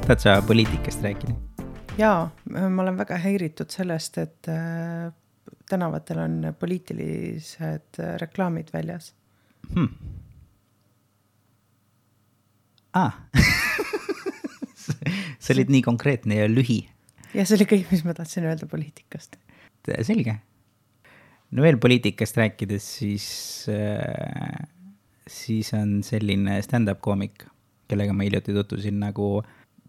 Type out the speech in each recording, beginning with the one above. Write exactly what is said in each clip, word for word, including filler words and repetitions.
Tahad sa poliitikast rääkida? Jaa, ma olen väga häiritud sellest, et äh, tänavatel on poliitilised reklaamid väljas. Hmm. Ah. See olid nii konkreetne ja lühi. Ja see oli kõik, mis ma tahtsin öelda poliitikast. Selge. No veel poliitikast rääkides, siis, äh, siis on selline stand-up koomik, kellega ma hiljuti tutvusin nagu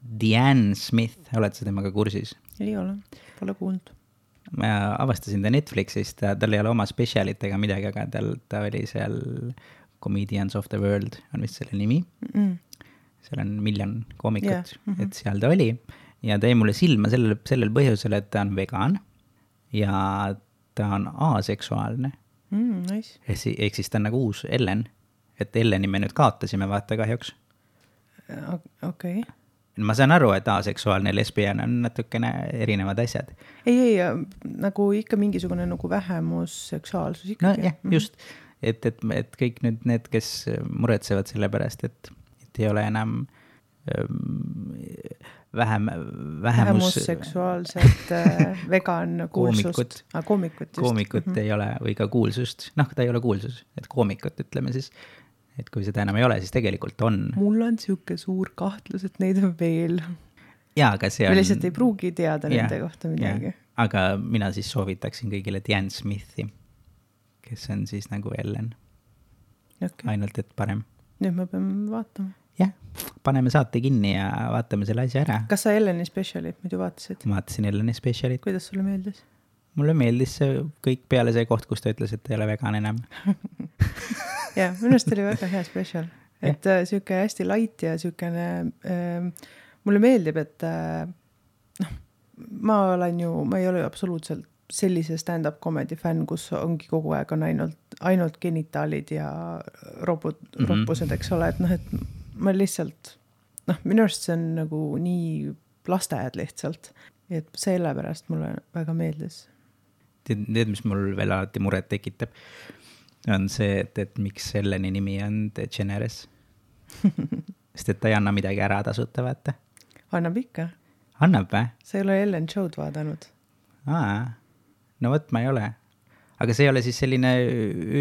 Diane Smith. Oled sa temaga kursis? Ei ole, pole kuulnud. Ma avastasin ta Netflixist, ta, tal ei ole oma spetsialit ega midagi, aga tal, ta oli seal Comedians of the World, on vist selle nimi. Mm. Seal on miljon koomikut, yeah. mm-hmm. et seal ta oli. Ja ta jäi mulle silma sellel, sellel põhjusel, et ta on vegan ja ta on aseksuaalne. Mm, nice. Ehk siis ta on nagu uus Ellen. Et Elleni me nüüd kaotasime, vaata kahjuks. Okei. Okay. Ma saan aru, et aseksuaalne ja lesbian on natukene erinevad asjad. Ei, ei, nagu ikka mingisugune nagu vähemus seksuaalsus ikka. No jah, just. Et, et, et kõik nüüd need, kes muretsevad selle pärast, et, et ei ole enam ähm, vähem, vähemus... Vähemus seksuaalset äh, vegan kuulsust. Koomikut. Ah, koomikut, just. Koomikut mm-hmm. ei ole, või ka kuulsust. Noh, ta ei ole kuulsus, et koomikut ütleme siis. Et kui seda enam ei ole, siis tegelikult on. Mul on siuke suur kahtlus, et neid on veel. Jaa, aga see on... Me lihtsalt ei pruugi teada ja, nende kohta midagi. Ja. Aga mina siis soovitaksin kõigile Diane Smithi, kes on siis nagu Ellen. Okay. Ainult, et parem. Nüüd me peame vaatama. Jah, paneme saate kinni ja vaatame selle asja ära. Kas sa Elleni spetsialit muidu vaatasid? Vaatasin Elleni spetsialit. Kuidas sulle meeldis? Mulle meeldis see kõik peale see koht, kus ta ütles, et ta ei ole vegan enam. Ja, minust oli väga hea spetsial. Et äh, siuke hästi light ja siukene, äh, mulle meeldib, et äh, noh, ma olen ju, ma ei ole ju absoluutselt sellise stand-up comedy fänn, kus ongi kogu aeg on ainult, ainult genitaalid ja robot, mm-hmm. roppused, eks ole, et noh, et ma lihtsalt, noh, minu arust see on nagu nii lasteajad lihtsalt, et selle pärast mulle väga meeldis. Teed, mis mul veel alati muret tekitab, on see, et, et miks Elleni nimi on DeGeneres. Sest et ta ei anna midagi ära tasuta, vaata. Annab ikka. Annab või? Sa ei ole Ellen show'd vaadanud. Aa, no võt ma ei ole. Aga see ei ole siis selline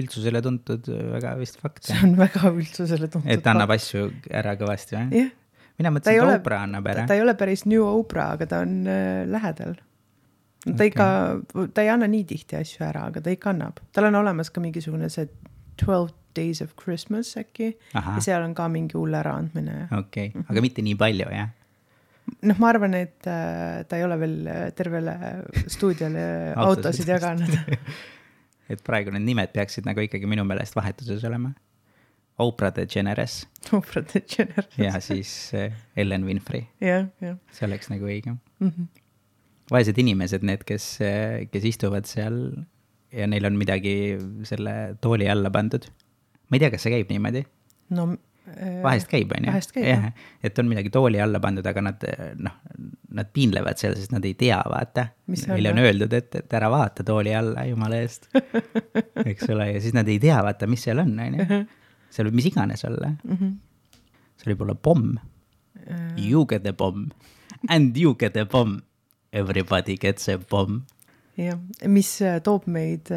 üldsusele tuntud väga vist fakt. See on väga üldsusele tuntud. Et annab asju ära kõvasti, või? Jah. Mina mõtlesin, et Oprah annab ära. Ta ei ole päris New Oprah, aga ta on äh, lähedal. Ta, okay. ikka, ta ei anna nii tihti asju ära, aga ta ikka annab. Tal on olemas ka mingisugune see twelve days of Christmas äkki. Aha. Ja seal on ka mingi hull äraandmine. Okei, okay. Aga mitte nii palju, jah? Noh, ma arvan, et äh, ta ei ole veel tervele stuudiale autosid jaganud. Et praegu need nimed peaksid nagu ikkagi minu meelest vahetuses olema. Oprah DeGeneres. Oprah DeGeneres. Ja siis Ellen Winfrey. Jah, jah. See oleks nagu õige. Mhm. Vaesed inimesed, need, kes, kes istuvad seal ja neil on midagi selle tooli alla pandud. Ma ei tea, kas see käib niimoodi? No, vahest käib, on ju? Vahest käib, jah. Et on midagi tooli alla pandud, aga nad, noh, nad piinlevad seal, sest nad ei tea, vaata. Neile on öeldud, et, et ära vaata tooli alla, jumala eest. Eks ole, ja siis nad ei tea, vaata, mis seal on, on ju? Seal võib mis iganes olla. Mm-hmm. See oli poole pomm. You get a bomb. And you get a bomb. Everybody gets a bomb. Ja, mis toob meid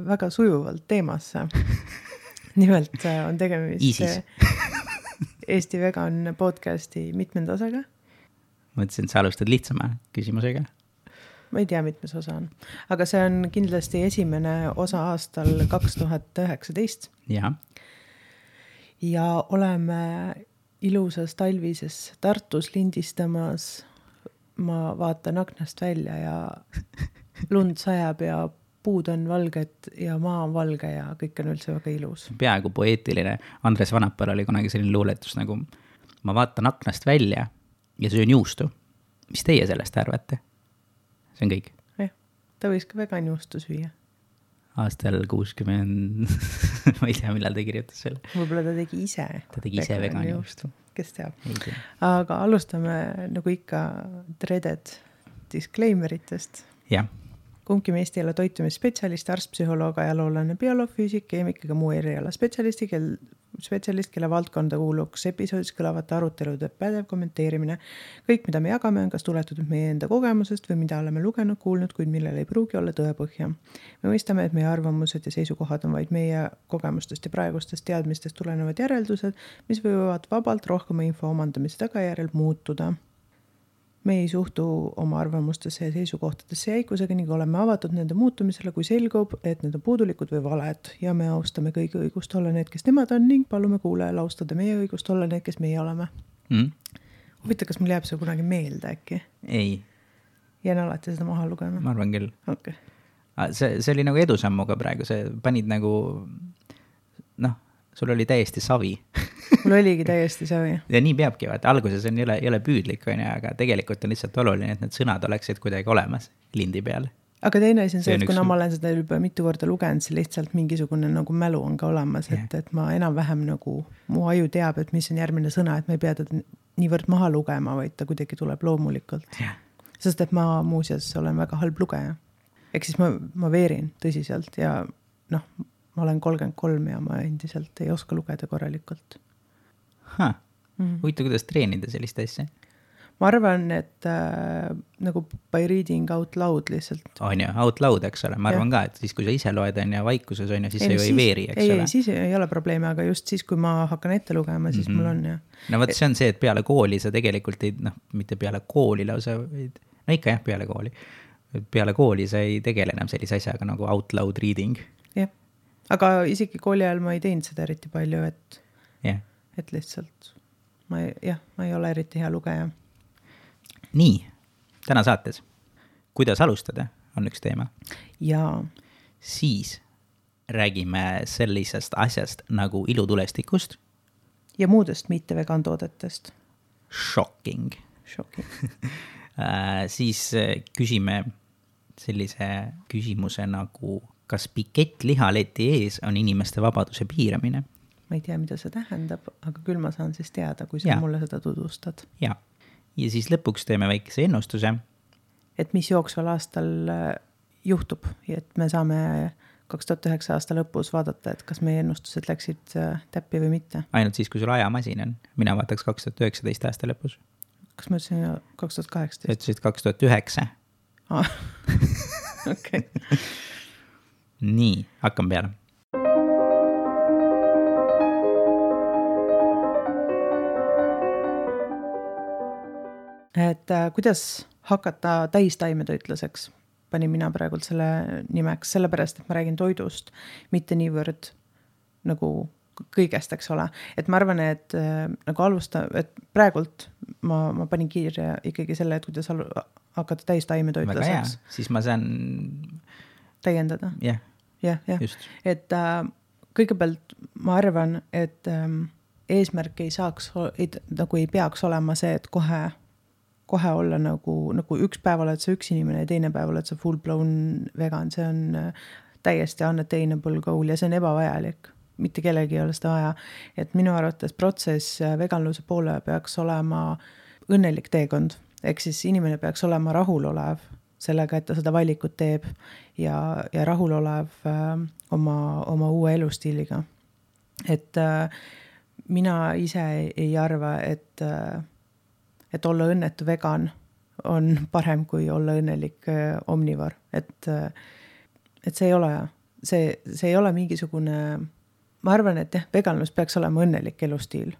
väga sujuvalt teemasse. Nimelt on tegemist Isis. Eesti vegan podcasti mitmendasaga. Ma ütlesin, et sa alustad lihtsama küsimusega. Ma ei tea, mitmes osa on. Aga see on kindlasti esimene osa aastal kaks tuhat üheksateist. Ja. Ja oleme ilusas talvises Tartus lindistamas. Ma vaatan aknast välja ja lund sajab ja puud on valged ja maa on valge ja kõik on üldse väga ilus. Peaaegu poeetiline. Andres Vanapal oli kunagi selline luuletus nagu ma vaatan aknast välja ja söön juustu. Mis teie sellest arvate? See on kõik. Jah, ta võis ka vegan juustu süüa. Aastal kuuskümmend, ma ei tea, millal ta kirjutas selle. Võib-olla ta tegi ise. Ta tegi ise vegan juustu. Kes teab. Aga alustame nagu ikka dreaded disclaimeritest. Jah. Kumbki meist ei ole toitumisspetsialist, arst, psühholoog, ajaloolane, bioloog, füüsik, keemik ega muu eriala spetsialisti, kel spetsialist, kelle valdkonda kuuluks episoodis kõlavate arutelude pädev kommenteerimine. Kõik, mida me jagame, on kas tuletud meie enda kogemusest või mida oleme lugenud, kuulnud, kuid millel ei pruugi olla tõepõhja. Me mõistame, et meie arvamused ja seisukohad on vaid meie kogemustest ja praegustest teadmistest tulenevad järeldused, mis võivad vabalt rohkema info omandamise tagajärjel muutuda. Me ei suhtu oma arvamustesse ja seisukohtadesse jäikusega ning oleme avatud nende muutumisele, kui selgub, et need on puudulikud või valed ja me austame kõigi õigust olla need, kes nemad on ning palume kuulajal austada meie õigust olla need, kes meie oleme. Mm. Huvita, kas mul jääb see kunagi meelde äkki? Ei. Jään alati seda maha lugema? Ma arvan küll. Okay. See, see oli nagu edusammuga praegu, see panid nagu, noh, sul oli täiesti savi. Mul oligi täiesti savi. Ja nii peabki, vaata, alguses on jõle, jõle püüdlik, on, aga tegelikult on lihtsalt oluline, et need sõnad oleksid kuidagi olemas lindi peal. Aga teine asi on see, et kuna üks... ma olen seda juba mitu korda lugenud, siis lihtsalt mingisugune nagu mälu on ka olemas, et, yeah. et ma enam-vähem nagu, mu aju teab, et mis on järgmine sõna, et ma ei pea teda niivõrd maha lugema, vaid ta kuidagi tuleb loomulikult. Yeah. Sest et ma muuseas olen väga halb lugeja. Ehk siis ma, ma veerin tõsiselt ja noh, ma olen kolmkümmend kolm ja ma endiselt ei oska lugeda korralikult. Ha, mm. Huvita, kuidas treenida sellist asja? Ma arvan, et äh, nagu by reading out loud lihtsalt. On ju, out loud, eks ole. Ma arvan ja. Ka, et siis kui sa ise loed on ja vaikuses on ja siis ei, see ju ei veeri, eks ei, ole. Ei, siis ei ole probleemi, aga just siis, kui ma hakkan ette lugema, siis mm-hmm. mul on ja. No võt, see on see, et peale kooli sa tegelikult ei, noh, mitte peale kooli lausa, no ikka jah, peale kooli. Peale kooli sa ei tegele enam sellise asjaga nagu out loud reading. Jah, aga isegi kooli ajal ma ei teinud seda eriti palju, et... jah. Et lihtsalt, ma ei, jah, ma ei ole eriti hea lugeja. Nii, täna saates. Kuidas alustada, on üks teema. Ja. Siis räägime sellisest asjast nagu ilutulestikust. Ja muudest mitte vegan toodetest. Shocking. Shocking. Siis küsime sellise küsimuse nagu, kas pikett lihaleti ees on inimeste vabaduse piiramine? Ma ei tea, mida see tähendab, aga küll ma saan siis teada, kui sa ja. Mulle seda tutvustad. Ja. Ja siis lõpuks teeme väikese ennustuse. Et mis jooksval aastal juhtub ja et me saame kaks tuhat üheksa aasta lõpus vaadata, et kas meie ennustused läksid täppi või mitte. Ainult siis, kui sul ajamasin on. Mina vaataks kaks tuhat üheksateist aasta lõpus. Kas ma ütlesin kaks tuhat kaheksateist? Sa ütlesid kaks tuhat üheksa. Ah. Okei. Nii, hakkam peale. Et äh, kuidas hakata täistaimetoitlaseks, panin mina praegult selle nimeks, sellepärast, et ma räägin toidust, mitte niivõrd nagu kõigest, eks ole. Et ma arvan, et äh, nagu alusta, et praegult ma, ma panin kiirja ikkagi selle, et kuidas alu, hakata täistaimetoitlaseks. Väga hea, siis ma saan... Täiendada? Jah, yeah, yeah. just. Et äh, kõigepealt ma arvan, et äh, eesmärk ei saaks, ei, nagu ei peaks olema see, et kohe kohe olla nagu, nagu üks päev oled sa üks inimene ja teine päev oled sa full blown vegan, see on täiesti unattainable goal ja see on ebavajalik. Mitte kellegi ei ole seda vaja. Et minu arvates protsess veganluse poole peaks olema õnnelik teekond. Ehk siis inimene peaks olema rahulolev sellega, et ta seda valikut teeb ja, ja rahulolev äh, oma, oma uue elustiiliga. Et äh, mina ise ei arva, et äh, et olla õnnetu vegan on parem kui olla õnnelik äh, omnivor. Et, äh, et see ei ole, see, see ei ole mingisugune, ma arvan, et jah, veganlus peaks olema õnnelik elustiil.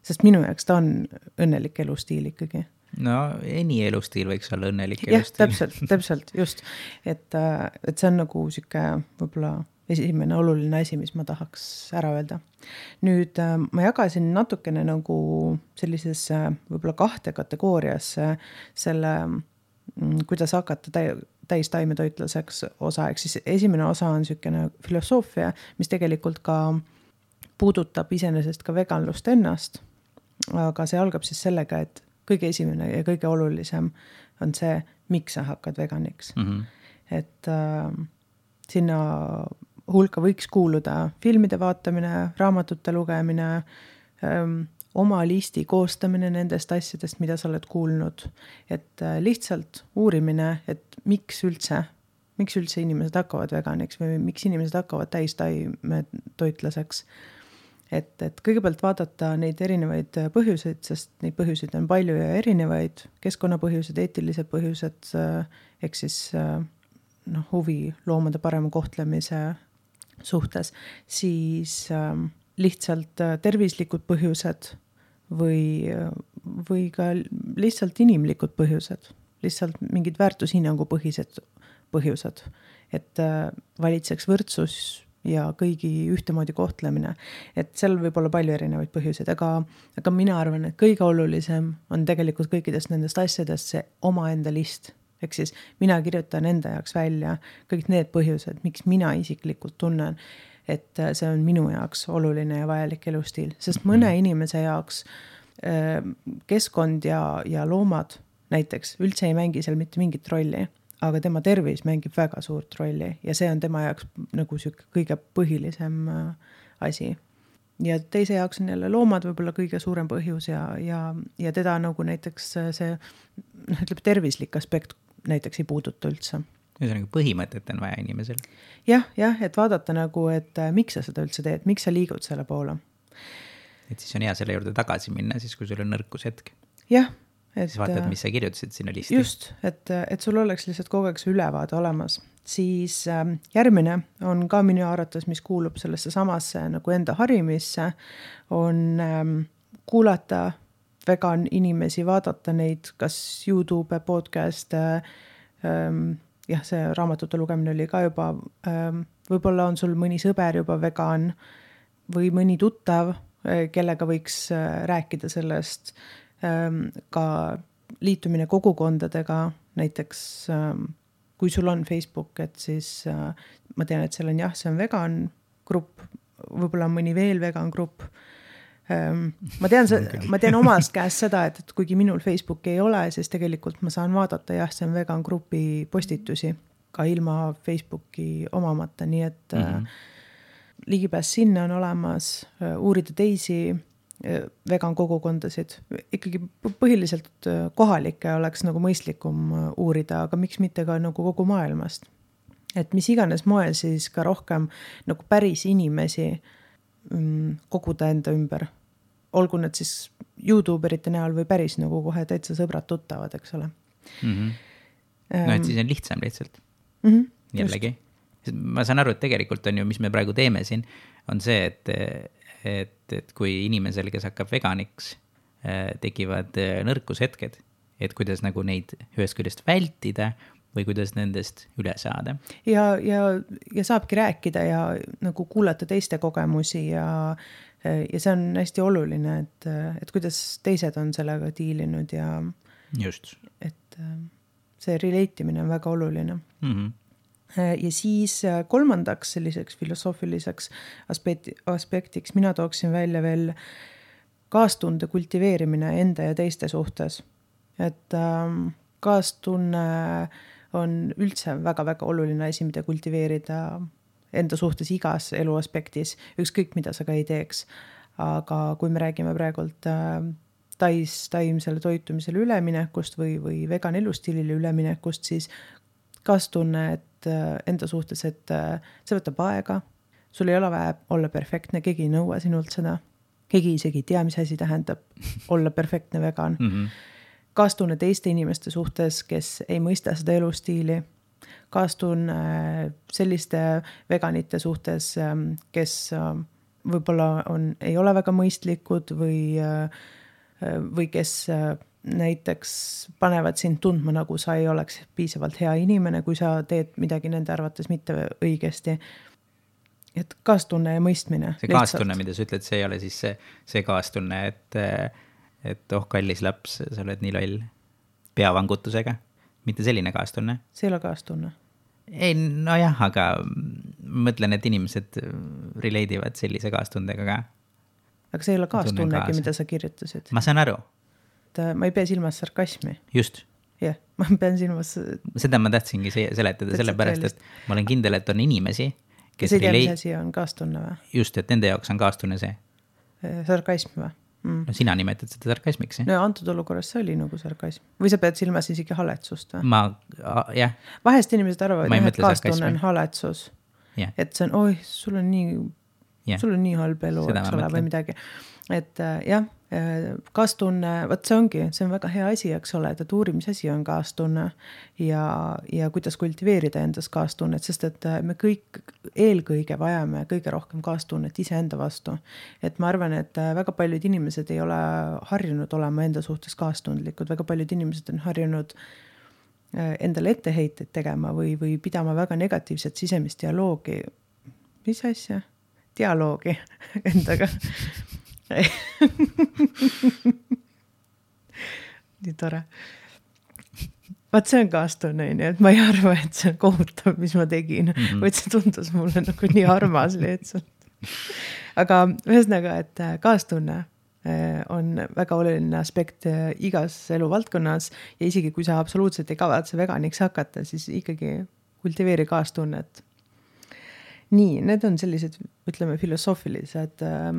Sest minu jaoks ta on õnnelik elustiil ikkagi. No, eni elustiil võiks olla õnnelik elustiil. Jah, täpselt, täpselt, just. Et, äh, et see on nagu siuke võib-olla esimene oluline asi, mis ma tahaks ära öelda. Nüüd ma jagasin natukene nagu sellises võib-olla kahte kategooriasse selle, kuidas hakata täistaimetoitlaseks osa. Ehk siis esimene osa on selline filosoofia, mis tegelikult ka puudutab iseenesest ka veganlust ennast. Aga see algab siis sellega, et kõige esimene ja kõige olulisem on see, miks sa hakkad veganiks. Mm-hmm. Et äh, sinna hulka võiks kuuluda filmide vaatamine, raamatute lugemine, öö, oma listi koostamine nendest asjadest, mida sa oled kuulnud. Et äh, lihtsalt uurimine, et miks üldse, miks üldse inimesed hakkavad veganiks või miks inimesed hakkavad täistaimetoitlaseks. et, et kõigepealt vaadata neid erinevaid põhjuseid, sest neid põhjuseid on palju ja erinevaid, keskkonnapõhjused, eetilised põhjused, ehk siis noh, huvi loomade parema kohtlemise suhtes, siis äh, lihtsalt tervislikud põhjused või, või ka lihtsalt inimlikud põhjused, lihtsalt mingid väärtushinnangu põhised põhjused, et äh, valitseks võrdsus ja kõigi ühtemoodi kohtlemine. Et seal võib olla palju erinevaid põhjuseid, aga, aga mina arvan, et kõige olulisem on tegelikult kõikidest nendest asjadest see omaenda list. Ehk siis mina kirjutan enda jaoks välja kõik need põhjused, miks mina isiklikult tunnen, et see on minu jaoks oluline ja vajalik elustiil. Sest mõne inimese jaoks äh, keskkond ja, ja loomad näiteks üldse ei mängi seal mitte mingit rolli, aga tema tervis mängib väga suurt rolli ja see on tema jaoks nagu süük, kõige põhilisem äh, asi. Ja teise jaoks on jälle loomad võib-olla kõige suurem põhjus ja, ja, ja teda nagu näiteks see noh, ütleb tervislik aspekt näiteks ei puuduta üldse. See on nagu põhimõtet on vaja inimesel. Jah, jah, et vaadata nagu, et äh, miks sa seda üldse teed, miks sa liigud selle poole. Et siis on hea selle juurde tagasi minna, siis kui sul on nõrkus hetk. Jah. Et, siis vaatad, mis sa kirjutasid sinna listi. Just, et, et sul oleks lihtsalt kogu aeg see ülevaade olemas. Siis äh, järgmine on ka minu arvates, mis kuulub sellesse samasse nagu enda harimisse, on ähm, kuulata vegan inimesi, vaadata neid, kas YouTube, podcast, ähm, jah, see raamatute lugemine oli ka juba, ähm, võib-olla on sul mõni sõber juba vegan või mõni tuttav, kellega võiks äh, rääkida sellest, ka liitumine kogukondadega, näiteks kui sul on Facebook, et siis ma tean, et seal on jah, see on vegan grupp, võib-olla on mõni veel vegan grupp. Ma tean, ma tean omast käest seda, et, et kuigi minul Facebooki ei ole, siis tegelikult ma saan vaadata, jah, see on vegan grupi postitusi ka ilma Facebooki omamata, nii et mm-hmm. ligipääs sinna on olemas, uurida teisi vegan kogukondasid. Ikkagi põhiliselt kohalikke oleks nagu mõistlikum uurida, aga miks mitte ka nagu kogu maailmast. Et mis iganes moel siis ka rohkem nagu päris inimesi koguda enda ümber. Olgu need siis YouTuberite näol või päris nagu kohe täitsa sõbrad tuttavad, eks ole. Mm-hmm. No et siis on lihtsam lihtsalt. Mm-hmm. Jällegi. Ma saan aru, et tegelikult on ju, mis me praegu teeme siin, on see, et et, et kui inimesel, kes hakkab veganiks, tekivad nõrkushetked, et kuidas nagu neid ühest küljest vältida või kuidas nendest üle saada. Ja, ja, ja saabki rääkida ja nagu kuulata teiste kogemusi ja, ja see on hästi oluline, et, et kuidas teised on sellega diilinud ja just. Et see releitimine on väga oluline. Mhm. Ja siis kolmandaks selliseks filosoofiliseks aspekti, aspektiks mina tooksin välja veel kaastunde kultiveerimine enda ja teiste suhtes. Et ähm, kaastunne on üldse väga-väga oluline asi, mida kultiveerida enda suhtes igas eluaspektis, ükskõik mida sa ka ei teeks. Aga kui me räägime praegult äh, tais, taimsele toitumisele üleminekust või, või vegan elustiilile üleminekust, siis kaastunne, et enda suhtes, et see võtab aega, sul ei ole vaja olla perfektne, keegi ei nõua sinult seda, keegi isegi ei tea, mis asi tähendab olla perfektne vegan. Mm-hmm. Kaastunne teiste inimeste suhtes, kes ei mõista seda elustiili, kaastunne selliste veganite suhtes, kes võib-olla on, ei ole väga mõistlikud või, või kes näiteks panevad sind tundma, nagu sa ei oleks piisavalt hea inimene, kui sa teed midagi nende arvates mitte õigesti. Et kaastunne ja mõistmine. See kaastunne, mida sa ütled, see ei ole siis see, see kaastunne, et, et oh, kallis laps, sa oled nii loll peavangutusega. Mitte selline kaastunne. See ei ole kaastunne. Ei, no jah, aga mõtlen, et inimesed releidivad sellise kaastundega ka. Aga see ei ole kaastunnegi, mida sa kirjutasid. Ma saan aru. Ma ei pea silmas sarkasmi. Just. Jah, ma pean silmas... Seda ma tahtsingi seletada, sellepärast, et ma olen kindel, et on inimesi, kes see tea, mis asi on kaastunne või? Just, et nende jaoks on kaastunne see. Sarkasm või? Mm. No sina nimetad seda sarkasmiks, jah? No antud olukorras see oli nagu sarkasm. Või sa pead silmas isegi haletsust või? Ma, jah. Vahest inimesed arvavad, et kaastunne on haletsus. Yeah. Et see on, oi, sul on nii Yeah. sul on nii halb elu, Seda eks ma ole, või mõtlen. midagi. Et äh, jah, äh, kaastunne, võt see ongi, see on väga hea asi, eks ole, et uurimisasi on kaastunne ja, ja kuidas kultiveerida endas kaastunnet, sest et äh, me kõik eelkõige vajame kõige rohkem kaastunnet iseenda vastu. Et ma arvan, et äh, väga paljud inimesed ei ole harjunud olema enda suhtes kaastundlikud, väga paljud inimesed on harjunud äh, endale etteheiteid tegema või, või pidama väga negatiivset sisemist dialoogi. Mis asja? Dialoogi endaga. Nii tore. Vaat see on kaastunne, et ma ei arva, et see on kohutav, mis ma tegin, mm-hmm. vaid see tundus mulle nagu nii armas lihtsalt. Aga ühesõnaga, et kaastunne on väga oluline aspekt igas eluvaldkonnas ja isegi kui sa absoluutselt ei kavatse veganiks hakata, siis ikkagi kultiveeri kaastunnet. Nii, need on sellised, ütleme, filosoofilised äh,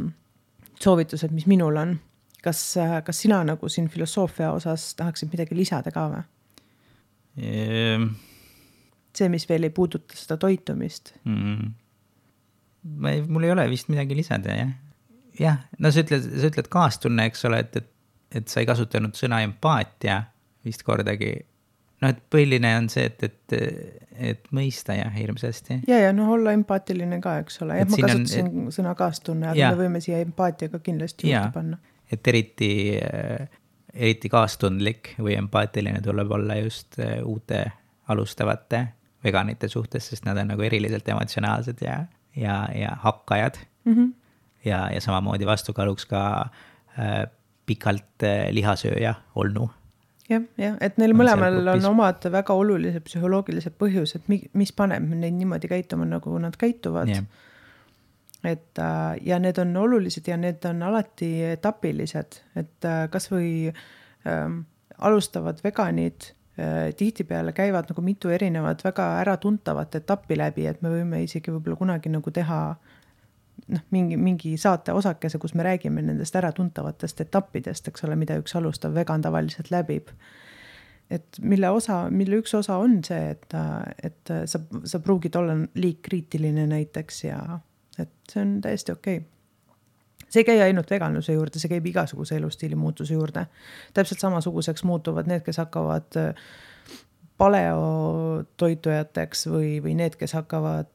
soovitused, mis minul on. Kas, äh, kas sina nagu siin filosoofia osas tahaksid midagi lisada ka või? Ehm. See, mis veel ei puuduta seda toitumist. Mm. Ma ei, mul ei ole vist midagi lisada, jah. Jah, no sa ütled, sa ütled kaastunne, eks ole, et, et, et sa ei kasutanud sõna empaatia vist kordagi. No, et põhiline on see, et, et, et mõista ja hirmsasti. Ja, ja no olla empaatiline ka, eks ole. Ja, ma kasutasin on, et, sõna kaastunne, aga ja. Me võime siia empaatiaga kindlasti juurde ja, panna. Et eriti, eriti kaastundlik või empaatiline tuleb olla just uute alustavate veganite suhtes, sest nad on nagu eriliselt emotsionaalsed ja, ja, ja hakkajad. Mm-hmm. Ja, ja samamoodi vastukaaluks ka äh, pikalt äh, lihasööja olnu. Jah, jah, et neil mõlemal on omad väga olulised psühholoogilised põhjused, mis paneb neid niimoodi käituma, nagu nad käituvad. Yeah. Et, ja need on olulised ja need on alati etapilised, et kas või ähm, alustavad veganid äh, tihtipeale käivad nagu mitu erinevat väga äratuntavat etappi läbi, et me võime isegi võib-olla kunagi nagu teha noh, mingi, mingi saate osakese, kus me räägime nendest äratuntavatest etappidest, eks ole, mida üks alustav vegan tavaliselt läbib. Et mille, osa, mille üks osa on see, et, et sa, sa pruugid olla liikkriitiline näiteks ja et see on täiesti okei. See ei käi ainult veganluse juurde, see käib igasuguse elustiili muutuse juurde. Täpselt samasuguseks muutuvad need, kes hakkavad paleotoitujateks või, või need, kes hakkavad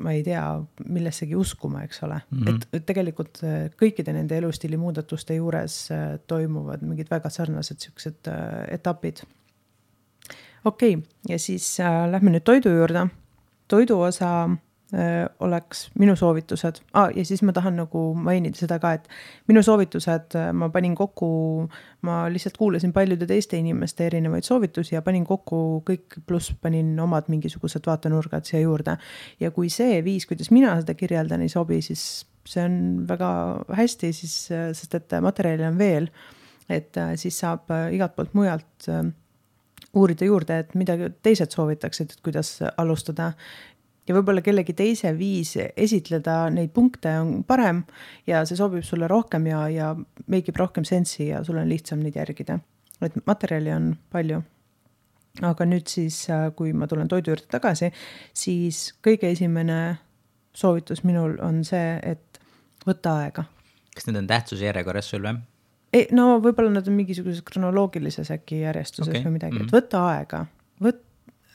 ma ei tea, millessegi uskuma, eks ole. Mm-hmm. Et tegelikult kõikide nende elustiili muudatuste juures toimuvad mingid väga sarnased siuksed etapid. Okei, okay. Ja siis äh, lähme nüüd toidu juurde. Toidu osa äh, oleks minu soovitused. Ah, ja siis ma tahan nagu mainida seda ka, et minu soovitused ma panin kokku, ma lihtsalt kuulasin paljude teiste inimeste erinevaid soovitusi ja panin kokku kõik, pluss panin omad mingisugused vaatenurgad siia juurde. Ja kui see viis, kuidas mina seda kirjeldan, ei sobi, siis see on väga hästi, siis, sest et materjali on veel, et siis saab igalt poolt mujalt uurida juurde, et mida teised soovitaksid, et kuidas alustada. Ja võib-olla kellegi teise viis esitleda neid punkte on parem ja see sobib sulle rohkem ja, ja meigib rohkem sensi ja sul on lihtsam neid järgida. Et materjali on palju. Aga nüüd siis, kui ma tulen toidu juurde tagasi, siis kõige esimene soovitus minul on see, et võtta aega. Kas need on tähtsuse järjekorras sul või? Ei, no võib-olla nad on mingisuguses kronoloogilises äkki järjestuses okay. Või midagi, et võtta aega, võt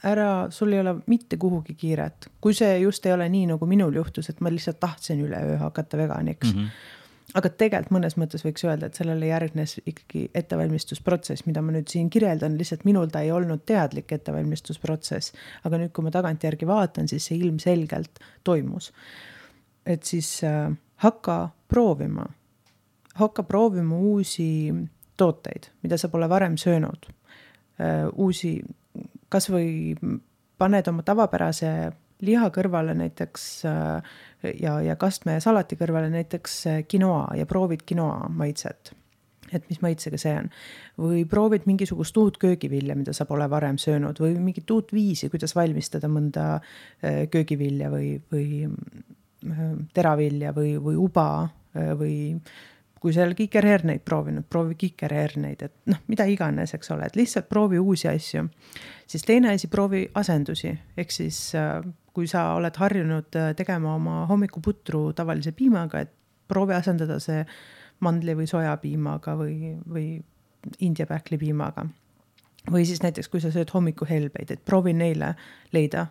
ära, sul ei ole mitte kuhugi kiiret. Kui see just ei ole nii, nagu minul juhtus, et ma lihtsalt tahtsin üle öö hakata veganiks. Mm-hmm. Aga tegelikult mõnes mõttes võiks öelda, et sellele järgnes ikkagi ettevalmistusprotsess, mida ma nüüd siin kirjeldan, lihtsalt minul ta ei olnud teadlik ettevalmistusprotsess. Aga nüüd, kui ma tagantjärgi vaatan, siis see ilmselgelt toimus. Et siis äh, hakka proovima. Hakka proovima uusi tooteid, mida sa pole varem söönud. Uusi, kas või paned oma tavapärase liha kõrvale näiteks ja, ja kastme ja salati kõrvale näiteks quinoa ja proovid quinoa maitset. Et mis maitsega see on. Või proovid mingisugust uut köögivilja, mida sa pole varem söönud või mingit uut viisi, kuidas valmistada mõnda köögivilja või, või teravilja või, või uba või kui seal kikerherneid proovinud, proovi kikerherneid, et noh, mida iganes, eks ole, et lihtsalt proovi uusi asju. Siis teine asi, proovi asendusi, ehk siis kui sa oled harjunud tegema oma hommikuputru tavalise piimaga, et proovi asendada see mandli või sojapiimaga või, või India pähklipiimaga. Või siis näiteks, kui sa sööd hommikuhelbeid, et proovi neile leida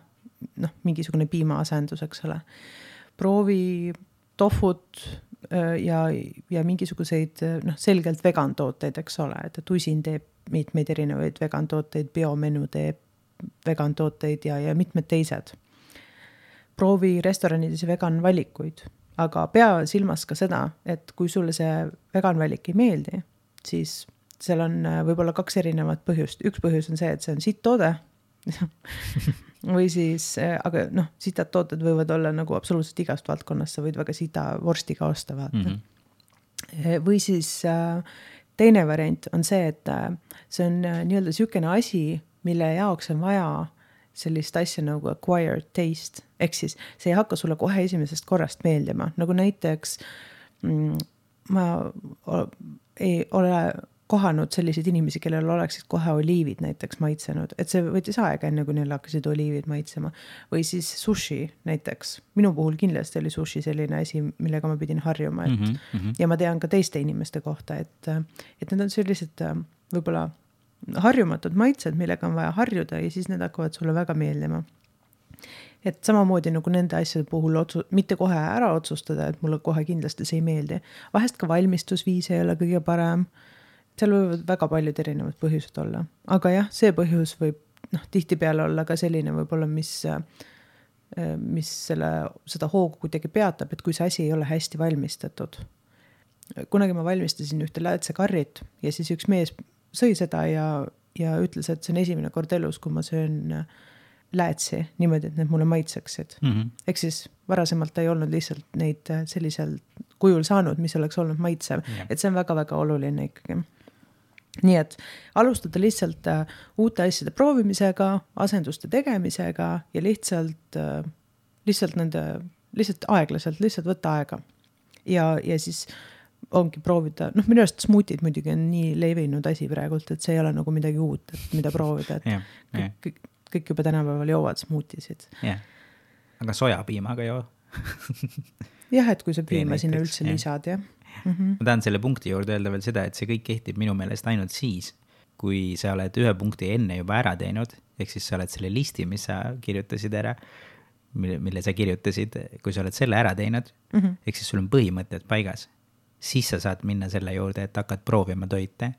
noh, mingisugune piimaasendus, eks ole. Proovi tofut ja, ja mingisuguseid noh, selgelt vegan tooteid, eks ole, et tusin teeb mitmeid erinevaid vegan tooteid, biomenu teeb vegan tooteid ja, ja mitmed teised. Proovi restoranides vegan valikuid, aga pea silmas ka seda, et kui sulle see vegan valik ei meeldi, siis seal on võib-olla kaks erinevat põhjust. Üks põhjus on see, et see on sitt toode või siis, aga noh, sitad tooted võivad olla nagu absoluutselt igast valdkonnast, sa võid väga sita vorsti ka osta vaata. Mm-hmm. Või siis teine variant on see, et see on nii-öelda sükene asi, mille jaoks on vaja sellist asja nagu acquired taste, ehk siis see ei hakka sulle kohe esimesest korrast meeldima, nagu näiteks mm, ma ei ole kohanud selliseid inimesi, kellel oleksid kohe oliivid näiteks maitsenud, et see võttis aega enne, kui neil hakkasid oliivid maitsema. Või siis sushi näiteks. Minu puhul kindlasti oli sushi selline asi, millega ma pidin harjuma. Et, mm -hmm. Ja ma tean ka teiste inimeste kohta, et, et need on sellised võib-olla harjumatud maitsed, millega on vaja harjuda ja siis need hakkavad sulle väga meeldima. Et samamoodi nagu nende asjade puhul otsu, mitte kohe ära otsustada, et mulle kohe kindlasti see ei meeldi. Vahest ka valmistusviis ei ole kõige parem. Seal võivad väga paljud erinevad põhjused olla. Aga jah, see põhjus võib noh, tihti peale olla ka selline võib-olla, mis, mis selle, seda hoogu kuidagi peatab, et kui see asi ei ole hästi valmistatud. Kunagi ma valmistasin ühte läätsekarrit ja siis üks mees sõi seda ja, ja ütles, et see on esimene kord elus, kui ma söön läätsi niimoodi, et need mulle maitseksid. Mm-hmm. Ehk siis varasemalt ta ei olnud lihtsalt neid sellisel kujul saanud, mis oleks olnud maitsev. Yeah. Et see on väga-väga oluline ikkagi. Nii et alustada lihtsalt uh, uute asjade proovimisega, asenduste tegemisega ja lihtsalt, uh, lihtsalt nende, lihtsalt aeglaselt, lihtsalt võtta aega. Ja, ja siis ongi proovida, noh minu arust smootid muidugi on nii levinud asi praegult, et see ei ole nagu midagi uut, et mida proovida, et yeah, yeah. Kõik, kõik juba tänapäeval joovad smoothisid. Yeah. Aga sojapiimaga joo? Jah, et kui sa piima sinna üldse yeah. lisad, jah. Mm-hmm. Ma tahan selle punkti juurde öelda veel seda, et see kõik kehtib minu meelest ainult siis, kui sa oled ühe punkti enne juba ära teinud, ehk siis sa oled selle listi, mis sa kirjutasid ära, mille, mille sa kirjutasid, kui sa oled selle ära teinud, mm-hmm. ehk siis sul on põhimõtted paigas, siis sa saad minna selle juurde, et hakkad proovima toite,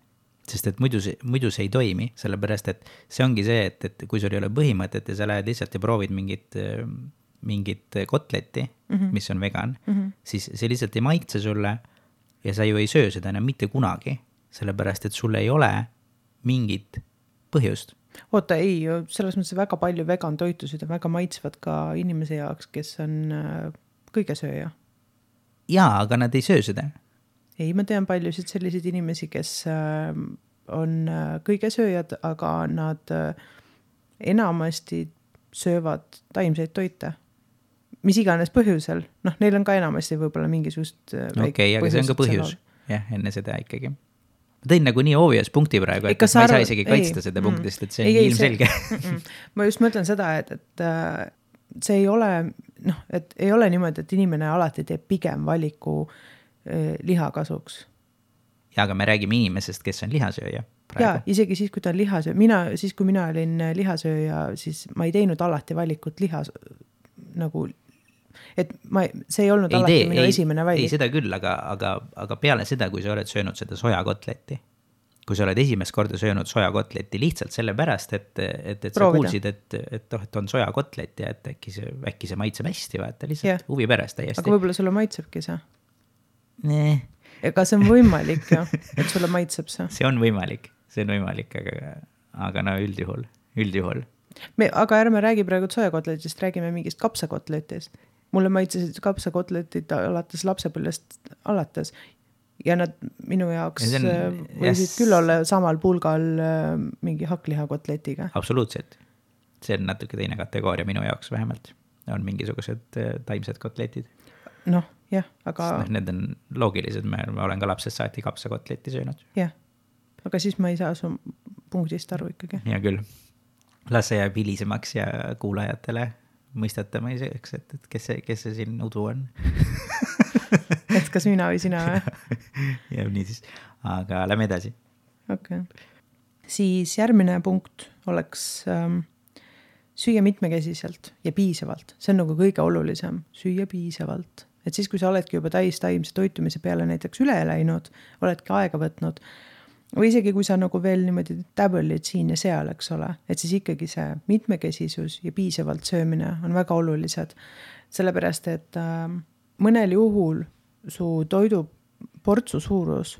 sest et muidu see, muidu see ei toimi, sellepärast et see ongi see, et, et kui sul ei ole põhimõtet ja sa lähed lihtsalt ja proovid mingit, mingit kotletti, mm-hmm. mis on vegan, mm-hmm. siis see lihtsalt ei maitse sulle ja sa ju ei söö seda enam mitte kunagi, sellepärast et sul ei ole mingit põhjust. Oota, ei, selles mõttes väga palju vegan toitusid on väga maitsvad ka inimese jaoks, kes on kõigesööja. Jaa, aga nad ei söö seda. Ei, ma tean paljusid selliseid inimesi, kes on kõigesööjad, aga nad enamasti söövad taimseid toite. Mis iganes põhjusel. Noh, neil on ka enamasti võib-olla mingisugust okei, okay, aga see on ka põhjus. Jah, enne seda ikkagi. Ma tõin nagu nii obvious punkti praegu, et ma ei saa isegi kaitsta ei, seda punktist, et see on ei, ilmselge. See, ma just mõtlen seda, et, et see ei ole, noh, et ei ole niimoodi, et inimene alati teeb pigem valiku eh, liha kasuks. Ja, aga me räägime inimesest, kes on lihasööja. Praegu. Ja, isegi siis, kui ta on lihasööja. Mina, siis, kui mina olin lihasööja, siis ma ei teinud alati valikut lihas, nagu et ma, see ei olnud ei alati tee, minu ei, esimene valik. Ei, seda küll, aga, aga, aga peale seda, kui sa oled söönud seda sojakotletti, kui sa oled esimest korda söönud sojakotletti lihtsalt sellepärast, et, et, et sa kuulsid, et, et, et on sojakotlet ja et äkki see, äkki see maitseb hästi, vaata, lihtsalt yeah. huvi pärast täiesti. Aga võib-olla sulle maitsebki see? Nee. Ega see on võimalik ju, et sulle maitseb see. See on võimalik, see on võimalik, aga, aga no üldjuhul, üldjuhul. Me, aga ärme räägi praegu sojakotletist, räägime mingist kapsakotletist. Mulle maitsesid kapsakotletid alates lapsepõlvest alates ja nad minu jaoks ja on, võisid yes. küll olla samal pulgal mingi hakklihakotletiga. Absoluutselt. See on natuke teine kategooria minu jaoks vähemalt. On mingisugused taimsed kotletid. Noh, jah, aga... Sest, need on loogilised, ma olen ka lapsest saati kapsakotleti söönud. Jah, aga siis ma ei saa su punktist aru ikkagi. Ja küll. Las see jääb hilisemaks ja kuulajatele mõistete ma iseks, et, et kes see, kes see siin udu on. et kas mina või sina või? ja nii siis, aga lähme edasi. Okei okay. Siis järgmine punkt oleks ähm, süüa mitmekesiselt ja piisavalt. See on nagu kõige olulisem, süüa piisavalt. Et siis, kui sa oledki juba täis taimse toitumise peale näiteks üle läinud, oledki aega võtnud, või isegi kui sa nagu veel niimoodi täbelid siin ja seal, eks ole, et siis ikkagi see mitmekesisus ja piisavalt söömine on väga olulised. Sellepärast, et ähm, mõnel juhul su toidu portsu suurus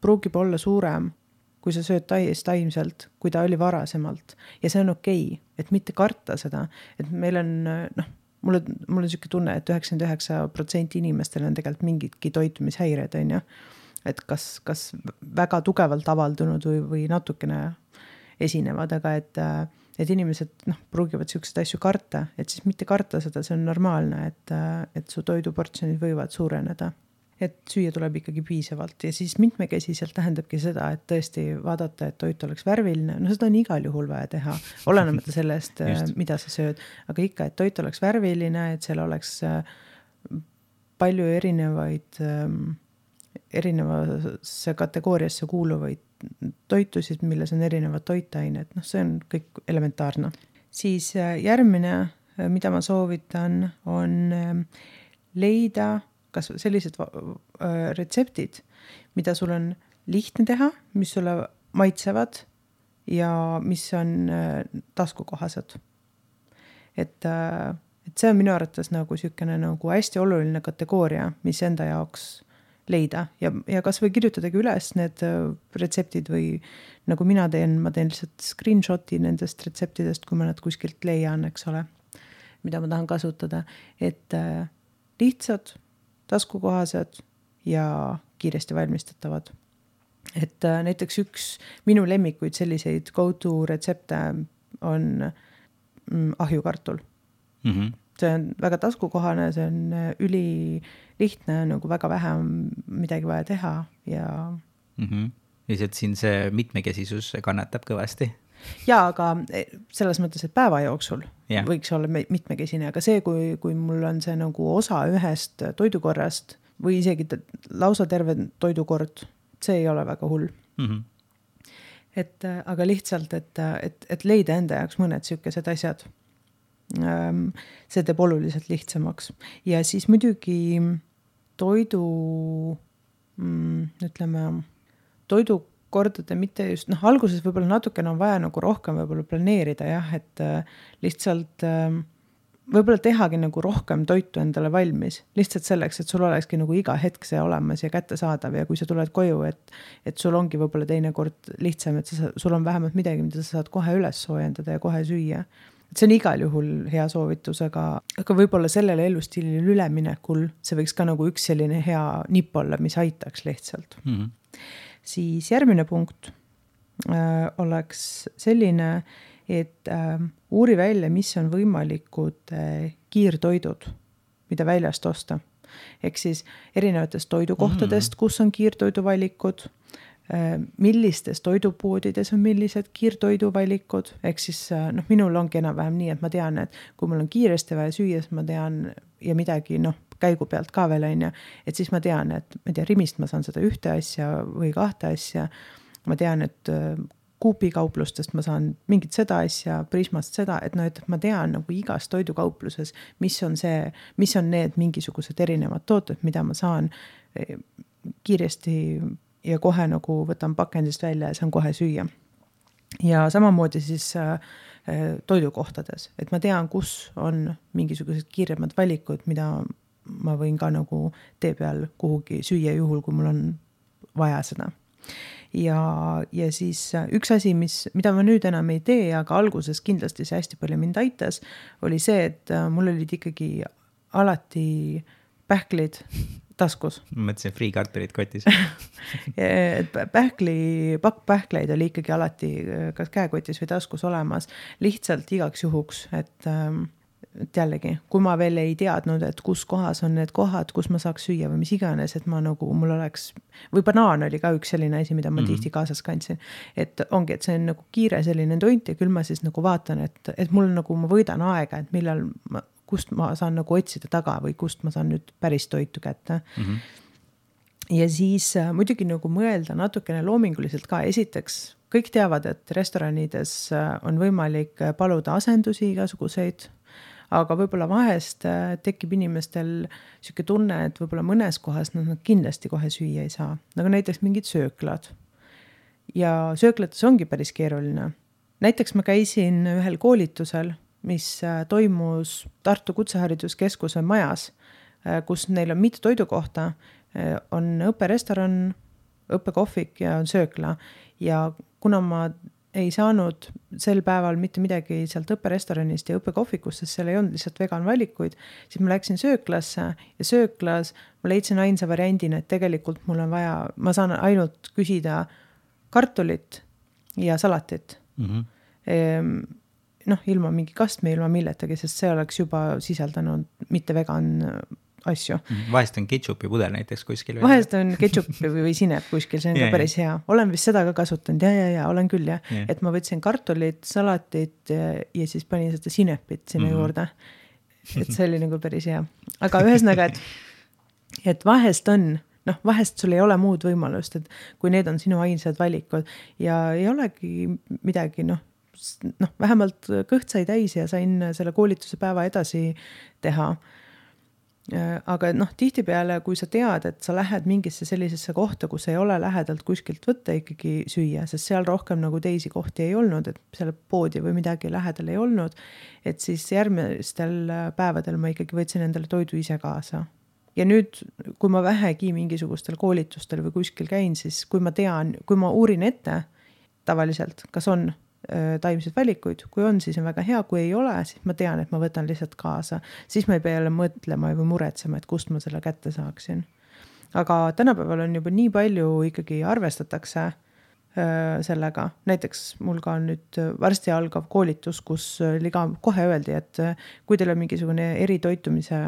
pruugib olla suurem, kui sa sööd täiesti taimselt, kui ta oli varasemalt. Ja see on okei, et mitte karta seda. Et meil on, noh, mul on, mul on selline tunne, et üheksakümmend üheksa protsenti inimestel on tegelikult mingitki toitumishäired, on ju. Et kas, kas väga tugevalt avaldunud või, või natukene esinevad, aga et, et inimesed noh, pruugivad selliseid asju karta, et siis mitte karta seda, see on normaalne, et, et su toiduportsjonid võivad suureneda. Et süüa tuleb ikkagi piisavalt ja siis mitmekesiselt tähendabki seda, et tõesti vaadata, et toit oleks värviline. No seda on igal juhul vaja teha, olenemata sellest, mida sa sööd. Aga ikka, et toit oleks värviline, et seal oleks palju erinevaid, erinevasse kategooriasse kuuluvaid toitusid, milles on erinevad toitained. No see on kõik elementaarne. Siis järgmine, mida ma soovitan, on leida kas sellised retseptid, mida sul on lihtne teha, mis sulle maitsevad ja mis on taskukohased. Et, et see on minu arvates nagu sükene nagu hästi oluline kategooria, mis enda jaoks leida ja, ja kas või kirjutadagi üles need retseptid või nagu mina teen, ma teen lihtsalt screenshoti nendest retseptidest, kui ma nad kuskilt leian, eks ole, mida ma tahan kasutada, et lihtsad taskukohased ja kiiresti valmistatavad. Et äh, näiteks üks minu lemmikuid selliseid go-to retsepte on mm, ahjukartul. Mm-hmm. See on väga taskukohane, see on üli lihtne, nagu väga vähe midagi vaja teha ja mm-hmm. Lihtsalt siin see mitmekesisus kannatab kõvasti. Jaa, aga selles mõttes, et päeva jooksul yeah. võiks olla mitmekesine, aga see, kui, kui mul on see nagu osa ühest toidukorrast või isegi lausa terve toidukord, see ei ole väga hull. Mm-hmm. Et, aga lihtsalt, et, et, et leida enda jaoks mõned sükesed asjad. See teeb oluliselt lihtsamaks. Ja siis muidugi toidu, ütleme, toidu kordade mitte just, noh, alguses võib-olla natukene on vaja nagu rohkem võib-olla planeerida, jah, et äh, lihtsalt äh, võib-olla tehagi nagu rohkem toitu endale valmis, lihtsalt selleks, et sul olekski nagu iga hetk see olemas ja kättesaadav ja kui sa tuled koju, et, et sul ongi võib-olla teine kord lihtsam, et sa, sul on vähemalt midagi, mida sa saad kohe üles soojendada ja kohe süüa. Et see on igal juhul hea soovitus, aga, aga võib-olla sellele elustiilile üleminekul see võiks ka nagu üks selline hea nipp olla, mis aitaks lihtsalt. Mm-hmm. Siis järgmine punkt äh, oleks selline, et äh, uuri välja, mis on võimalikud äh, kiirtoidud, mida väljast osta. Ehk siis erinevatest toidukohtadest, kus on kiirtoiduvalikud, äh, millistes toidupoodides on millised kiirtoiduvalikud. Ehk siis äh, noh, minul ongi enam-vähem nii, et ma tean, et kui mul on kiiresti vaja süüa, ma tean ja midagi, noh, käigu pealt ka veel on, et siis ma tean, et ma tean, Rimist ma saan seda ühte asja või kahte asja. Ma tean, et Coop'i-kauplustest ma saan mingit seda asja, Prismast seda, et no, et ma tean nagu igas toidukaupluses, mis on see, mis on need mingisugused erinevad tooted, mida ma saan kiiresti ja kohe nagu võtan pakendist välja ja saan kohe süüa. Ja samamoodi siis toidukohtades, et ma tean, kus on mingisugused kiiremad valikud, mida ma võin ka nagu tee peal kuhugi süüa juhul, kui mul on vaja seda. Ja, ja siis üks asi, mis, mida ma nüüd enam ei tee, aga alguses kindlasti see hästi palju mind aitas, oli see, et mul olid ikkagi alati pähklid taskus. Ma mõtlesin free kartulid kotis. Pähkli, pakk pähkleid oli ikkagi alati kas käekotis või taskus olemas, lihtsalt igaks juhuks, et et jällegi, kui ma veel ei teadnud, et kus kohas on need kohad, kus ma saaks süüa või mis iganes, et ma nagu, mul oleks, või banaan oli ka üks selline asi, mida ma mm-hmm. tihti kaasas kandsin, et ongi, et see on nagu kiire selline toint ja küll ma siis nagu vaatan, et, et mul nagu, ma võidan aega, et millal ma, kust ma saan nagu otsida taga või kust ma saan nüüd päris toitu kätte mm-hmm. ja siis muidugi nagu mõelda natukene loominguliselt ka. Esiteks kõik teavad, et restoranides on võimalik paluda asendusi igasuguseid, aga võib-olla vahest tekib inimestel siuke tunne, et võib-olla mõnes kohas nad kindlasti kohe süüa ei saa, nagu näiteks mingid sööklad. Ja sööklates ongi päris keeruline. Näiteks ma käisin ühel koolitusel, mis toimus Tartu Kutsehariduskeskuse majas, kus neil on mitu toidukohta, on õpperestoran, õppekohvik ja on söökla. Ja kuna ma ei saanud sel päeval mitte midagi sealt õpperestoranist ja õppekohvikust, sest seal ei olnud lihtsalt vegan valikuid, siis ma läksin sööklasse ja sööklas ma leidsin ainsa variandina, et tegelikult mul on vaja, ma saan ainult küsida kartulit ja salatit. Mm-hmm. Ehm, noh, ilma mingi kastme, ilma milletagi, sest see oleks juba sisaldanud mitte vegan asju. Vahest on ketšupi pudel näiteks kuskil. Vahest on ketšupi või sinep kuskil, see on ja, ka päris hea. Olen vist seda ka kasutanud, ja, ja, ja, olen küll, ja. ja. Et ma võtsin kartulit, salatit ja, ja siis panin seda sinepit sinna mm-hmm. juurde. Et see oli nagu päris hea. Aga ühesõnaga, et, et vahest on, noh, vahest sul ei ole muud võimalust, et kui need on sinu ainsad valikud ja ei olegi midagi, noh, noh, vähemalt kõht sai täis ja sain selle koolituse päeva edasi teha. Aga noh, tihtipeale, kui sa tead, et sa lähed mingisse sellisesse kohta, kus ei ole lähedalt kuskilt võtta ikkagi süüa, sest seal rohkem nagu teisi kohti ei olnud, et selle poodi või midagi lähedal ei olnud, et siis järgmistel päevadel ma ikkagi võtsin endale toidu ise kaasa. Ja nüüd, kui ma vähegi mingisugustel koolitustel või kuskil käin, siis kui ma tean, kui ma uurin ette tavaliselt, kas on taimseid valikuid, kui on, siis on väga hea, kui ei ole, siis ma tean, et ma võtan lihtsalt kaasa, siis ma ei pea jälle mõtlema või muretsema, et kust ma selle kätte saaksin. Aga tänapäeval on juba nii palju ikkagi arvestatakse sellega, näiteks mul ka on nüüd varsti algav koolitus, kus liga kohe öeldi, et kui teil on mingisugune eritoitumise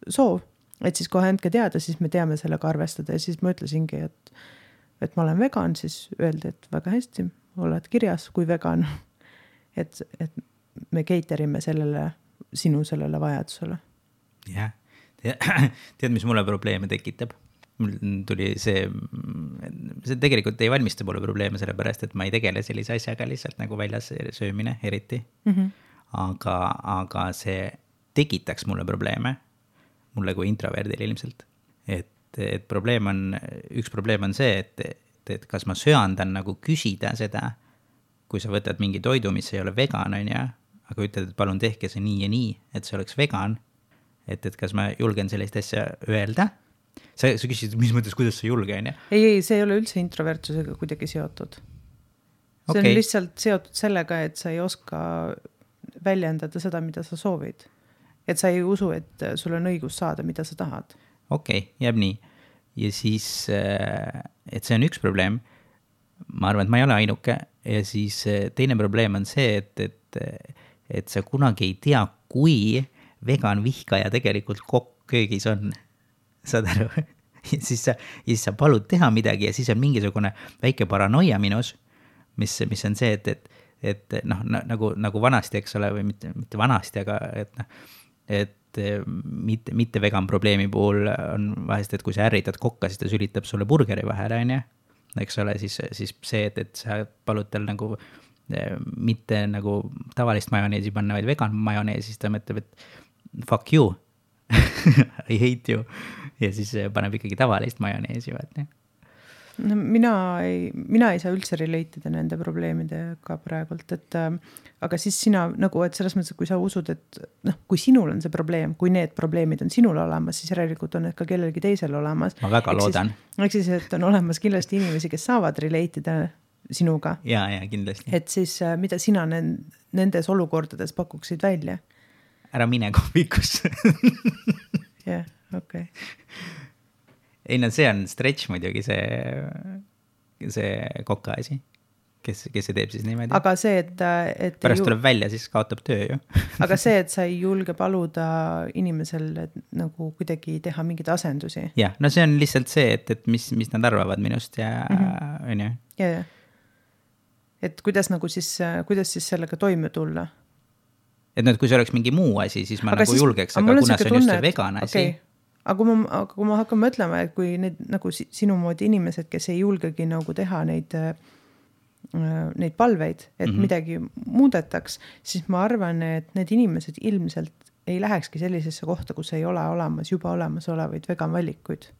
soov, et siis kohe andke teada, siis me teame sellega arvestada ja siis ma ütlesingi, et, et ma olen vegan, siis öeldi, et väga hästi oled kirjas kui vegan, et, et me caterime sellele, sinu sellele vajadusele. Jah, tead, mis mulle probleeme tekitab? Mul tuli see, see tegelikult ei valmista mulle probleeme selle pärast, et ma ei tegele sellise asjaga lihtsalt nagu väljas söömine eriti. Mm-hmm. Aga, aga see tekitaks mulle probleeme, mulle kui introverdil ilmselt. Et, et probleem on, üks probleem on see, et et kas ma söandan nagu küsida seda, kui sa võtad mingi toidu, mis ei ole vegan, on ja, aga ütled, et palun tehke see nii ja nii, et see oleks vegan, et, et kas ma julgen sellist asja öelda? Sa, sa küsisid, mis mõttes, kuidas sa julge, on ja? Ei, ei, see ei ole üldse introvertsusega kuidagi seotud. See okay. on lihtsalt seotud sellega, et sa ei oska väljendada seda, mida sa soovid. Et sa ei usu, et sul on õigus saada, mida sa tahad. Okei, okay, jääb nii. Ja siis, et see on üks probleem, ma arvan, et ma ei ole ainuke, ja siis teine probleem on see, et, et, et sa kunagi ei tea, kui vegan vihkaja tegelikult kokk köögis on, saad aru, ja siis sa, ja siis sa palud teha midagi ja siis on mingisugune väike paranoia minus, mis, mis on see, et, et, et noh, nagu, nagu vanasti, eks ole, või mitte, mitte vanasti, aga et noh, et mitte, mitte vegan probleemi puhul on vahest, et kui sa ärritad kokka, siis ta sülitab sulle burgeri vahele, on ja? Eks ole, siis, siis see, et, et sa palud tal nagu mitte nagu tavalist majoneesi panna, vaid vegan majoneesi, siis ta mõtleb, et fuck you, I hate you. Ja siis paneb ikkagi tavalist majoneesi, vaat, jah. No, mina, ei, mina ei saa üldse relatida nende probleemidega praegult, et äh, aga siis sina nagu, et selles mõttes, kui sa usud, et noh, kui sinul on see probleem, kui need probleemid on sinul olemas, siis järelikult on need ka kellelgi teisel olemas. Ma väga eks loodan. Siis, eks siis, et on olemas kindlasti inimesi, kes saavad relatida sinuga. Ja, ja, kindlasti. Et siis äh, mida sina nendes olukordades pakuksid välja? Ära mine kohvikusse. Jah, okei. Okay. Ei, no see on stretch muidugi, see, see koka asi, kes, kes see teeb siis niimoodi. Aga see, et... et pärast ju... tuleb välja, siis kaotab töö ju. Aga see, et sa ei julge paluda inimesel et, nagu kuidagi teha mingeid asendusi. Jah, no see on lihtsalt see, et, et mis, mis nad arvavad minust ja mm-hmm. on ju. Ja, ja. Et kuidas nagu siis, kuidas siis sellega toime tulla? et no, et kui see oleks mingi muu asi, siis ma aga nagu siis, julgeks, aga kuna see on tunne, just see vegan asi. Okay. Aga kui ma, aga kui ma hakkan mõtlema, et kui need nagu sinu moodi inimesed, kes ei julgegi nagu teha neid, neid palveid, et mm-hmm. midagi muudetaks, siis ma arvan, et need inimesed ilmselt ei lähekski sellisesse kohta, kus ei ole olemas juba olemas olevaid vegan valikuid.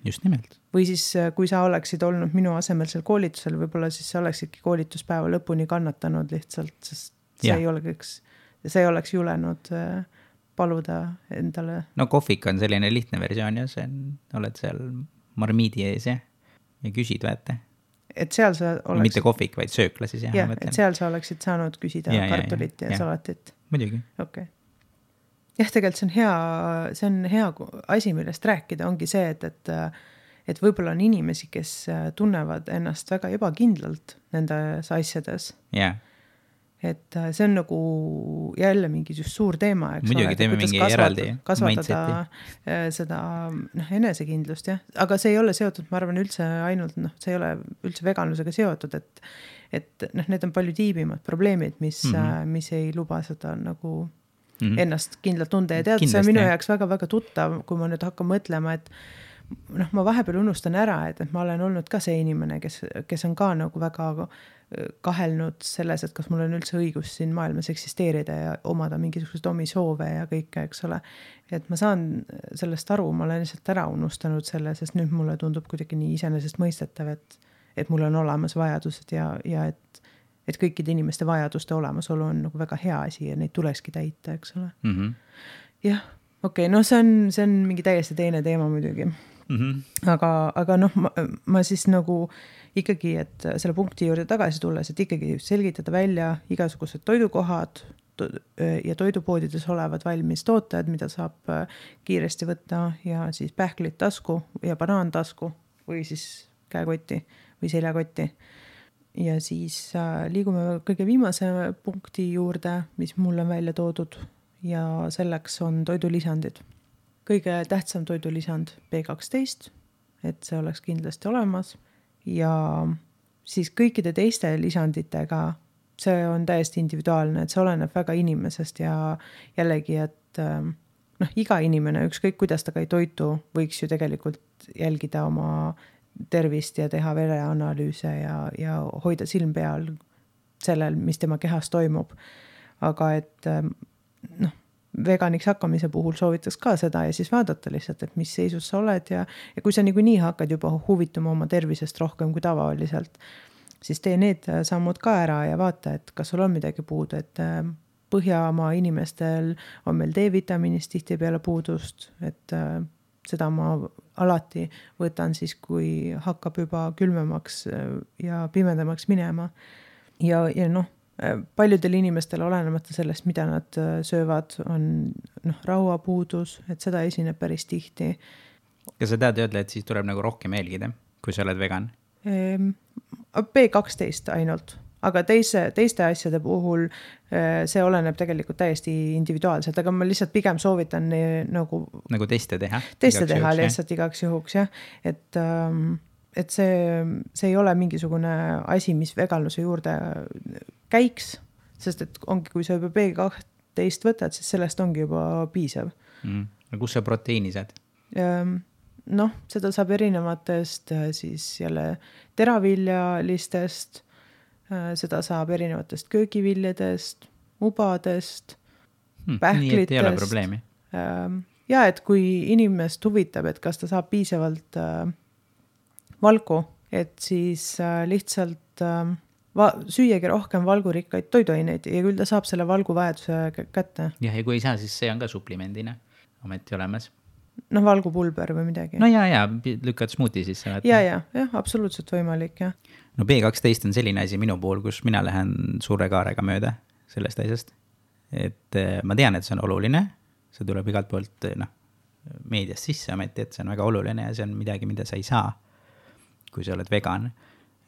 Just nimelt. Või siis, kui sa oleksid olnud minu asemel seal koolitusel, võib-olla siis sa oleksidki koolituspäeva lõpuni kannatanud lihtsalt, sest see ja. ei oleks, see ei oleks julenud paluda endale. No kohvik on selline lihtne versioon ja see on, oled seal marmiidi ees ja, ja küsid vaata. Et seal sa oleksid... Mitte kohvik, vaid söökla siis. Jah, ja, et seal sa oleksid saanud küsida ja, kartulit ja, ja, ja, ja salatit. Muidugi. Okei. Okay. Jah, tegelikult see on hea, see on hea asi, millest rääkida, ongi see, et, et, et võib-olla on inimesi, kes tunnevad ennast väga ebakindlalt nendes asjades. Yeah. Et see on nagu jälle mingi just suur teema, eks muidugi, ole, teeme mingi eraldi kasvatada seda noh, enesekindlust, jah. Aga see ei ole seotud, ma arvan, üldse ainult, noh, see ei ole üldse veganlusega seotud, et, et noh, need on palju tiibimad probleemid, mis, mm-hmm. mis ei luba seda nagu mm-hmm. ennast kindlalt tunde ja tead, see on minu jaoks väga-väga tuttav, kui ma nüüd hakkan mõtlema, et noh, ma vahepeal unustan ära, et, et ma olen olnud ka see inimene, kes, kes on ka nagu väga kahelnud selles, et kas mul on üldse õigus siin maailmas eksisteerida ja omada mingisugused omi soove ja kõike, eks ole. Et ma saan sellest aru, ma olen lihtsalt ära unustanud selle, sest nüüd mulle tundub kuidagi nii iseenesest mõistetav, et, et mul on olemas vajadused ja, ja et, et kõikide inimeste vajaduste olemasolu on nagu väga hea asi ja neid tulekski täita, eks ole. Mm-hmm. Jah, okei, okay, no see on, see on mingi täiesti teine teema muidugi. Mm-hmm. Aga, aga noh, ma, ma siis nagu ikkagi, et selle punkti juurde tagasi tulles, et ikkagi selgitada välja igasugused toidukohad to- ja toidupoodides olevad valmis tooted, mida saab kiiresti võtta ja siis pähklid tasku ja banaan tasku või siis käekotti või seljakotti. Ja siis liigume kõige viimase punkti juurde, mis mul on välja toodud ja selleks on toidulisandid. Kõige tähtsam toidulisand B kaksteist, et see oleks kindlasti olemas. Ja siis kõikide teiste lisanditega see on täiesti individuaalne, et see oleneb väga inimesest ja jällegi, et noh, iga inimene, ükskõik kuidas ta ka ei toitu, võiks ju tegelikult jälgida oma tervist ja teha vereanalüüse ja, ja hoida silm peal sellel, mis tema kehas toimub. Aga et noh, veganiks hakkamise puhul soovitaks ka seda ja siis vaadata lihtsalt, et mis seisus sa oled ja, ja kui sa niikuinii hakkad juba huvituma oma tervisest rohkem kui tavaliselt, siis tee need sammud ka ära ja vaata, et kas sul on midagi puudu, et Põhjamaa inimestel on meil D-vitamiinist tihti peale puudust, et seda ma alati võtan siis, kui hakkab juba külmemaks ja pimedamaks minema ja, ja noh, paljudel inimestel olenemata sellest, mida nad söövad, on noh, rauapuudus, et seda esineb päris tihti. Ja sa tead öelda, et siis tuleb nagu rohkem jälgida, kui sa oled vegan? B kaksteist ainult, aga teise, teiste asjade puhul see oleneb tegelikult täiesti individuaalselt, aga ma lihtsalt pigem soovitan nagu... Nagu teste teha? Teste teha lihtsalt igaks juhuks, jah. Et... Ähm, et see, see ei ole mingisugune asi, mis veganluse juurde käiks, sest et ongi, kui sa juba B kaksteist võtad, siis sellest ongi juba piisav. Mm. No kus sa proteiini saad? Noh, seda saab erinevatest siis jälle teraviljalistest, seda saab erinevatest köögiviljadest, ubadest, hmm, pähklitest. Nii, et ei ole probleemi. Ja, et kui inimest huvitab, et kas ta saab piisavalt valgu, et siis lihtsalt va- süüagi rohkem valgurikkaid toiduaineid ja küll ta saab selle valgu vajaduse kätte. Jah, ja kui ei saa, siis see on ka suplimendina ometi olemas. Noh, valgupulber või midagi. No ja, ja, lükkad smuuti sisse. Ja, ja, jah, absoluutselt võimalik, jah. No B kaksteist on selline asi minu puhul, kus mina lähen suure kaarega mööda sellest asjast. Et ma tean, et see on oluline, see tuleb igalt poolt noh, meediast sisse ometi, et see on väga oluline ja see on midagi, mida sa ei saa, kui sa oled vegan.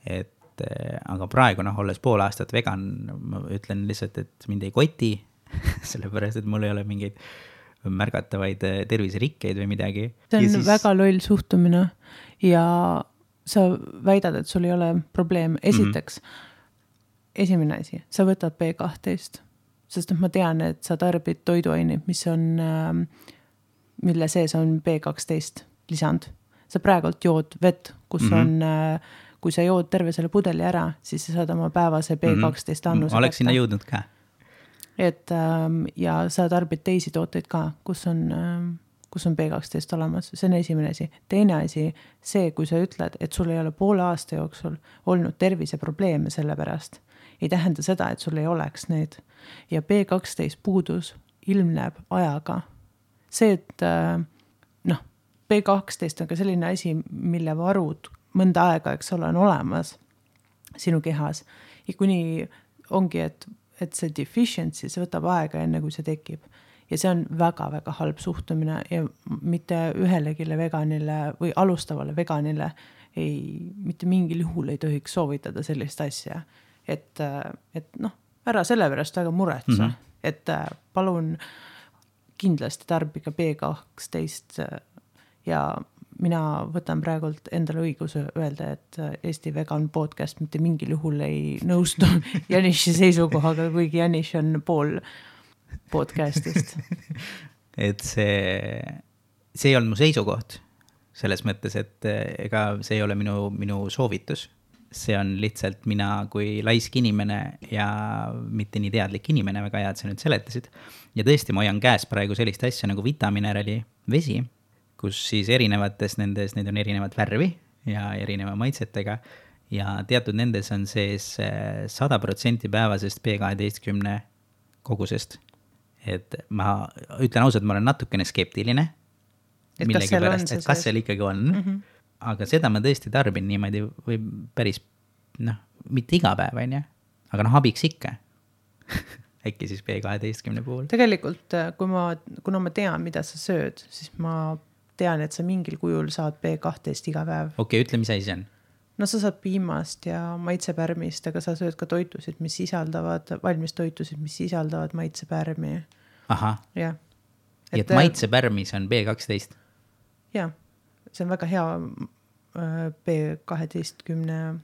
Et, aga praegu, noh, olles pool aastat vegan, ma ütlen lihtsalt, et mind ei koti, sellepärast, et mul ei ole mingeid märgatavaid terviserikkeid või midagi. See on siis... väga loll suhtumine ja sa väidad, et sul ei ole probleem. Esiteks, mm-hmm. esimene asi, sa võtad B kaksteist sest et ma tean, et sa tarbid toiduaineid, mis on, mille sees on B kaksteist lisand. Sa praegult jood vett, kus mm -hmm. on, kui sa jood terve selle pudeli ära, siis sa saad oma päevase B kaksteist annuse mm -hmm. Oleks sinna jõudnud ka. Et, ja sa tarbid teisi tooteid ka, kus on, kus on B kaksteist olemas. See on esimene asi. Teine asi, see, kui sa ütled, et sul ei ole poole aasta jooksul olnud terviseprobleeme selle pärast, ei tähenda seda, et sul ei oleks neid. Ja B kaksteist puudus ilmneb ajaga. See, et noh, B kaksteist on ka selline asi, mille varud mõnda aega, eks ole, on olemas sinu kehas. Ja kuni ongi, et, et see deficiency, see võtab aega enne, kui see tekib. Ja see on väga-väga halb suhtumine ja mitte ühelegile veganile või alustavale veganile ei, mitte mingil juhul ei tohiks soovitada sellist asja. Et, et noh, ära selle pärast väga muretsa, mm -hmm. et palun kindlasti tarbige B kaksteist ja mina võtan praegult endale õiguse öelda, et Eesti Vegan Podcast mitte mingil juhul ei nõustu Janiši seisukohaga, kuigi Janiš on pool podcastist. Et see, see ei olnud mu seisukoht selles mõttes, et ega see ei ole minu, minu soovitus. See on lihtsalt mina kui laisk inimene ja mitte nii teadlik inimene, väga hea, et sa nüüd seletasid. Ja tõesti, ma hoian käes praegu sellist asja nagu vitaminerali vesi, kus siis erinevates nendes, need on erinevat värvi ja erineva maitsetega ja teatud nendes on sees sada protsenti päevasest B kaheteistkümne kogusest. Et ma ütlen ausalt, ma olen natukene skeptiline, et millegi pärast, et kas seal ikkagi on, mm -hmm. aga seda ma tõesti tarbin niimoodi või päris, noh, mitte iga päev, on ja? Aga noh, abiks ikka. Äkki siis B kaheteistkümne puhul. Tegelikult, kui ma, kuna ma tean, mida sa sööd, siis ma tean, et sa mingil kujul saad B kaksteist iga päev. Okei, ütle, mis asi see on? No sa saad piimast ja maitsepärmist, aga sa sööd ka toitusid, mis sisaldavad, valmis toitusid, mis sisaldavad maitsepärmi. Aha. Ja. Et, et maitsepärmis on B kaksteist? Jah, see on väga hea B kaheteistkümne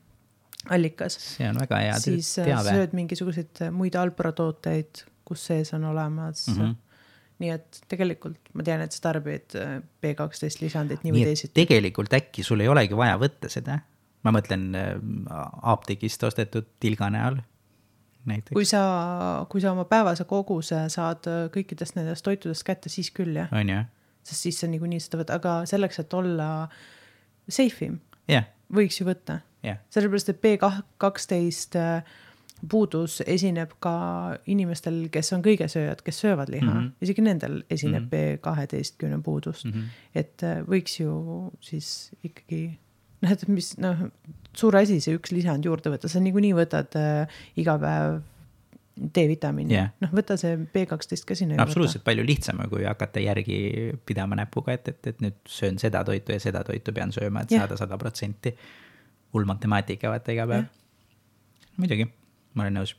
allikas. See on väga hea siis teave. Sööd mingisuguseid muid alpratooteid, kus sees on olemas. Mm -hmm. Nii et tegelikult ma tean, et sa tarbid B kaksteist lisandit nii või teisiti. Tegelikult äkki sul ei olegi vaja võtta seda. Ma mõtlen apteegist ostetud tilga näol. Näiteks. Kui sa, kui sa oma päevase koguse saad kõikidest nendest toitudest kätte, siis küll jah. On jah. Sest siis sa nii kui nii seda võtta, aga selleks, et olla safe'im, yeah. võiks ju võtta. Yeah. Sellepärast, et B kaksteist puudus esineb ka inimestel, kes on kõigesööjad, kes söövad liha. Mm -hmm. Isegi nendel esineb mm -hmm. B kaheteistkümne puudust. Mm -hmm. Et võiks ju siis ikkagi, noh, et mis, noh, suur asi see üks lisand juurde võtta. Sa nii kui nii võtad äh, iga päev D-vitamiini. Yeah. Noh, võta see B kaksteist ka sinna. No, absoluutselt palju lihtsam, kui hakata järgi pidama näpuga, et, et, et nüüd söön seda toitu ja seda toitu pean sööma, et yeah. saada sada protsenti hull matemaatika vaata iga päev. Yeah. Muidugi, ma olen nõus.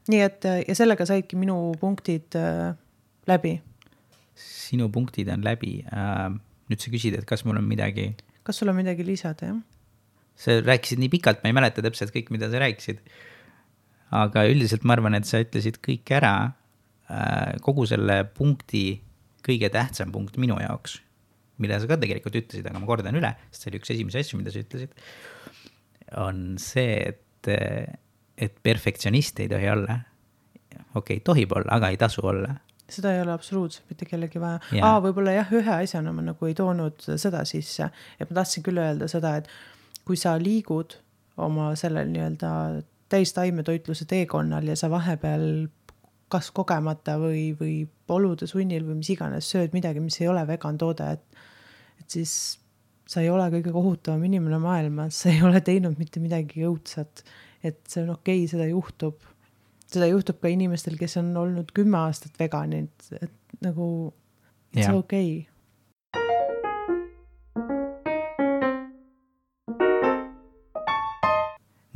Nii et, ja sellega saidki minu punktid äh, läbi. Sinu punktid on läbi. Äh, nüüd sa küsid, et kas mul on midagi... Kas sul on midagi lisada, jah? Sa rääkisid nii pikalt, ma ei mäleta täpselt kõik, mida sa rääkisid. Aga üldiselt ma arvan, et sa ütlesid kõik ära. Kogu selle punkti kõige tähtsam punkt minu jaoks, mille sa ka tegelikult ütlesid, aga ma kordan üle, sest see oli üks esimese asju, mida sa ütlesid, on see, et, et perfektsionist ei tohi olla. Okei, okay, tohib olla, aga ei tasu olla. Seda ei ole absoluutselt mitte kellegi vaja. Yeah. Aa, võib-olla jah, ühe asjana ma nagu ei toonud seda sisse, et ma tahtsin küll öelda seda, et kui sa liigud oma sellel nii-öelda täistaimetoitluse teekonnal ja sa vahepeal kas kogemata või, või olude sunnil või mis iganes sööd midagi, mis ei ole vegan toode, et, et siis sa ei ole kõige kohutavam inimene maailmas, sa ei ole teinud mitte midagi õudsat, et see on okei, seda juhtub. Seda juhtub ka inimestel, kes on olnud kümme aastat veganid, et nagu it's yeah. okei.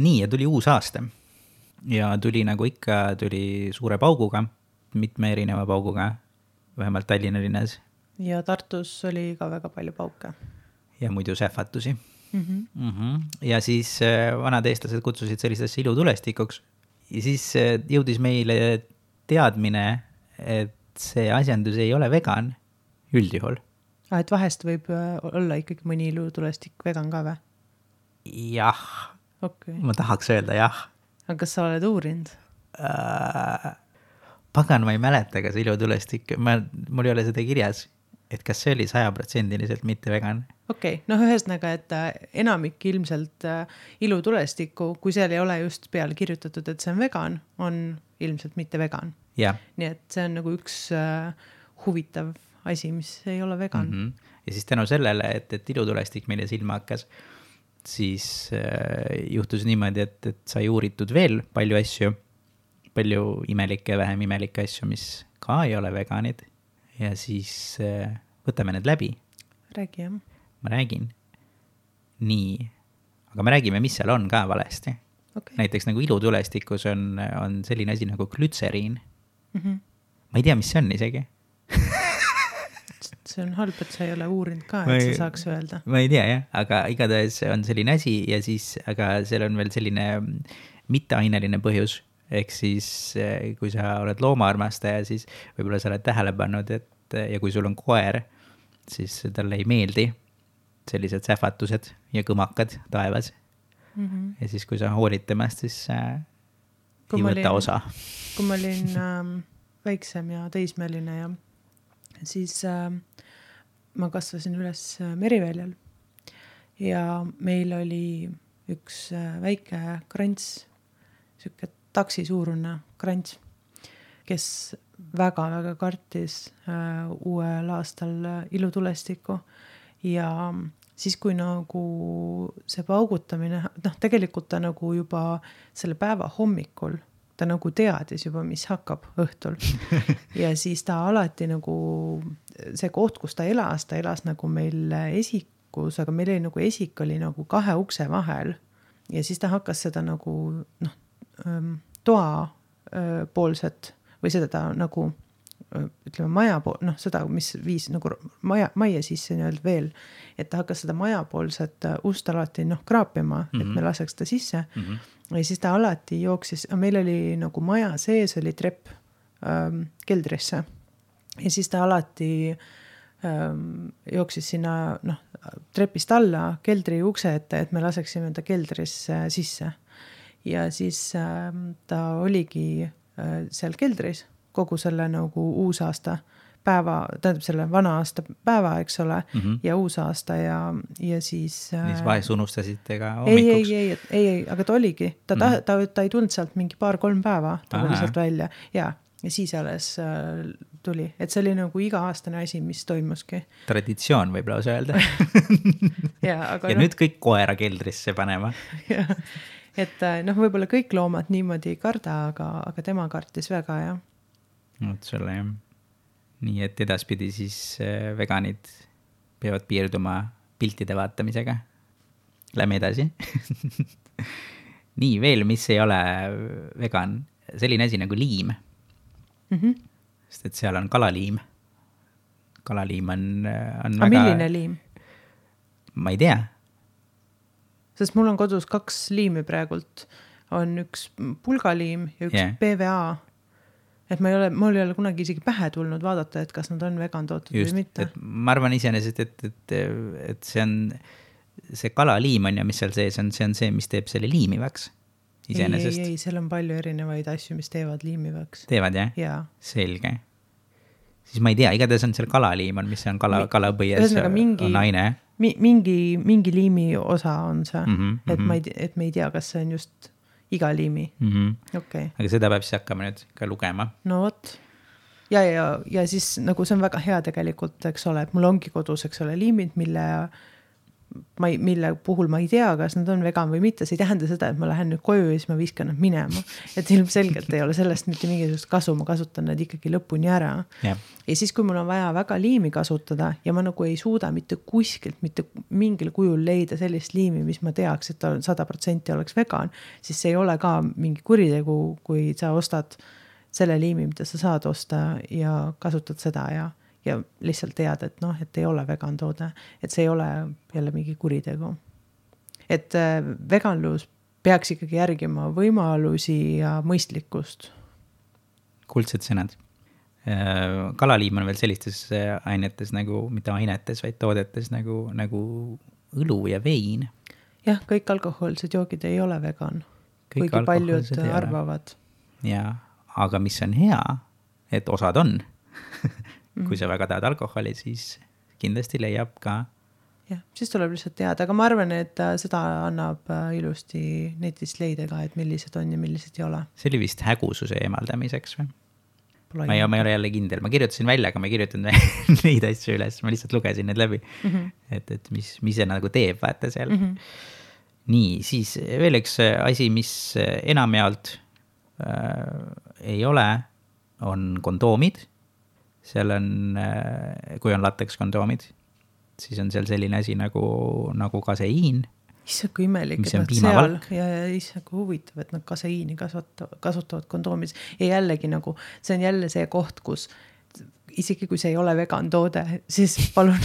Nii, ja tuli uus aasta. Ja tuli nagu ikka, tuli suure pauguga, mitme erineva pauguga, vähemalt Tallinna linnas. Ja Tartus oli ka väga palju pauke. Ja muidu sähvatusi. Mm-hmm. Mm-hmm. Ja siis vanad eestlased kutsusid sellistesse ilutulestikuks. Ja siis jõudis meile teadmine, et see asjandus ei ole vegan üldjuhul. Ah, et vahest võib olla ikkagi mõni ilutulestik vegan ka või? Jah, okay. Ma tahaks öelda jah. Aga kas sa oled uurinud? Äh, pagan, ma ei mäleta, kas ilutulestik, ma, mul ei ole seda kirjas, et kas see oli sajaprotsendiliselt mitte vegan. Okei, okay. noh ühesõnaga, et enamik ilmselt ilutulestikku, kui seal ei ole just peale kirjutatud, et see on vegan, on ilmselt mitte vegan. Yeah. Nii et see on nagu üks uh, huvitav asi, mis ei ole vegan. Mm-hmm. Ja siis tänu sellele, et, et ilutulestik meile silma hakkas, siis äh, juhtus niimoodi, et, et sai uuritud veel palju asju, palju imelikke ja vähem imelikke asju, mis ka ei ole veganid. Ja siis äh, võtame need läbi. Räägi, jah. Ma räägin. Nii. Aga me räägime, mis seal on ka valesti. Okay. Näiteks nagu ilutulestikus on, on selline asi nagu glütseriin. Mm-hmm. Ma ei tea, mis see on isegi. See on halb, et sa ei ole uurinud ka, et ma ei, sa saaks öelda. Ma ei tea, jah, aga igatahes on selline asi ja siis, aga seal on veel selline mitteaineline põhjus. Ehk siis, kui sa oled loomaarmastaja, siis võib-olla sa oled tähele pannud, et ja kui sul on koer, siis talle ei meeldi sellised sähvatused ja kõmakad taevas. Mm-hmm. Ja siis, kui sa hoolid temast, siis äh, ei võta olin, osa. Kui ma olin ähm, väiksem ja teismeline ja siis äh, ma kasvasin üles Meriväljal ja meil oli üks äh, väike krants, siuke taksi suurune krants, kes väga-väga kartis äh, uuel aastal ilutulestikku ja siis, kui nagu see paugutamine, noh, tegelikult ta nagu juba selle päeva hommikul, ta nagu teadis juba, mis hakkab õhtul. Ja siis ta alati nagu, see koht, kus ta elas, ta elas nagu meil esikus, aga meil oli nagu esik oli nagu kahe ukse vahel. Ja siis ta hakkas seda nagu, noh, toa poolset või seda ta nagu, ütleme, maja pool, noh, seda, mis viis nagu maja, maja sisse nii-öelda veel, et ta hakkas seda majapoolset ust alati, noh, kraapima, mm-hmm. et me laseks ta sisse. Mm-hmm. Ja siis ta alati jooksis, meil oli nagu maja sees oli trepp ähm, keldrisse ja siis ta alati ähm, jooksis sinna, noh, trepist alla keldri ukse ette, et me laseksime ta keldrisse sisse. Ja siis ähm, ta oligi äh, seal keldris kogu selle nagu uusaasta päeva, tähendab selle vana aasta päeva, eks ole, mm-hmm. ja uusaasta ja, ja siis... Siis vahest unustasite ka hommikuks? Ei, ei, ei, ei, ei, aga ta oligi. Ta, mm-hmm. ta, ta, ta ei tulnud sealt mingi paar-kolm päeva, ta oli sealt välja. Ja, ja siis alles äh, tuli. Et see oli nagu iga-aastane asi, mis toimuski. Traditsioon võib lausa öelda. ja aga ja no, nüüd kõik koera keldrisse panema. ja, et noh, võib-olla kõik loomad niimoodi ei karda, aga, aga tema kartis väga, jah. Oot sulle, jah. Nii et edaspidi siis veganid peavad piirduma piltide vaatamisega. Lähme edasi. Nii, veel, mis ei ole vegan, selline asi nagu liim. Mm-hmm. Sest et seal on kalaliim. Kalaliim on, on väga... A milline liim? Ma ei tea. Sest mul on kodus kaks liimi praegult. On üks pulgaliim ja üks yeah. P V A. Et ma ei ole, mul ei ole kunagi isegi pähe tulnud vaadata, et kas nad on vegan tootud Just, või mitte. Et ma arvan iseenesest, et, et, et see on, see kalaliim on ja mis seal sees on, see on see, mis teeb selle liimivaks. Iseenesest. Ei, ei, ei, seal on palju erinevaid asju, mis teevad liimivaks. Teevad, jah? Jaa. Selge. Siis ma ei tea, igatahes on seal kalaliim, on, mis on kala, kalapõies mingi, on aine. Mi, mingi, mingi liimi osa on see, mm-hmm, et, mm-hmm. ma ei, et me ei tea, kas see on just... iga liimi. Mm-hmm. Okay. Aga seda peab siis hakkama nüüd ka lugema. No vot. Ja, ja, ja siis nagu see on väga hea tegelikult, eks ole, et mul ongi kodus, eks ole, liimid, mille, ma ei, mille puhul ma ei tea, kas nad on vegan või mitte. See ei tähenda seda, et ma lähen nüüd koju ja siis ma viskan nad minema. Et ilmselgelt ei ole sellest mitte mingisugust kasu, ma kasutan nad ikkagi lõpuni ära. Yeah. Ja siis, kui mul on vaja väga liimi kasutada ja ma nagu ei suuda mitte kuskilt, mitte mingil kujul leida sellist liimi, mis ma teaks, et ta sada protsenti oleks vegan, siis see ei ole ka mingi kuritegu, kui sa ostad selle liimi, mida sa saad osta ja kasutad seda ja ja lihtsalt tead, et noh, et ei ole vegan toode, et see ei ole jälle mingi kuritegu. Et veganlus peaks ikkagi järgima võimalusi ja mõistlikkust. kuldsed sõnad. Kalaliim on veel sellistes ainetes nagu, mitte ainetes, vaid toodetes nagu, nagu õlu ja vein. Jah, kõik alkohoolsed joogid ei ole vegan, kõik kuigi paljud arvavad. Ja, aga mis on hea, et osad on. Kui sa väga tahad alkoholi, siis kindlasti leiab ka. Jah, siis tuleb lihtsalt teada, aga ma arvan, et seda annab ilusti netist leida ka, et millised on ja millised ei ole. See oli vist hägususe eemaldamiseks või? Ma ei, ma ei ole jälle kindel, ma kirjutasin välja, aga ma ei kirjutanud neid asju üles, ma lihtsalt lugesin need läbi, mm-hmm. et, et mis, mis see nagu teeb, vaata seal. Mm-hmm. Nii, siis veel üks asi, mis enamjaolt äh, ei ole, on kondoomid. Seal on, äh, kui on lateks kondoomid, siis on seal selline asi nagu, nagu kaseiin. Issa kui imelik, et nad seal ja, ja issa kui huvitav, et nad kaseiini kasutavad, kasutavad kondoomis ja jällegi nagu, see on jälle see koht, kus isegi kui see ei ole vegan toode, siis palun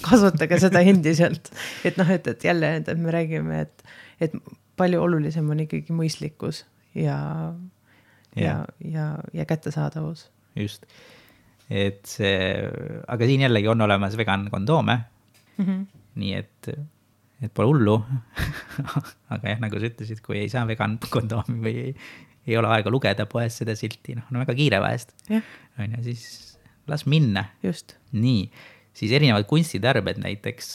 kasutage seda endiselt. Et noh, et, et jälle et me räägime, et, et palju olulisem on ikkagi mõistlikkus ja, ja, ja, ja kättesaadavus. Just. Et see, aga siin jällegi on olemas vegan kondoome, mm-hmm. nii et et pole hullu, aga jah, nagu sa ütlesid, kui ei saa vegan kondoomi või ei, ei ole aega lugeda poes seda silti, noh, on väga kiire vahest, yeah. on ja siis las minna. Just. Nii, siis erinevad kunstitarbed näiteks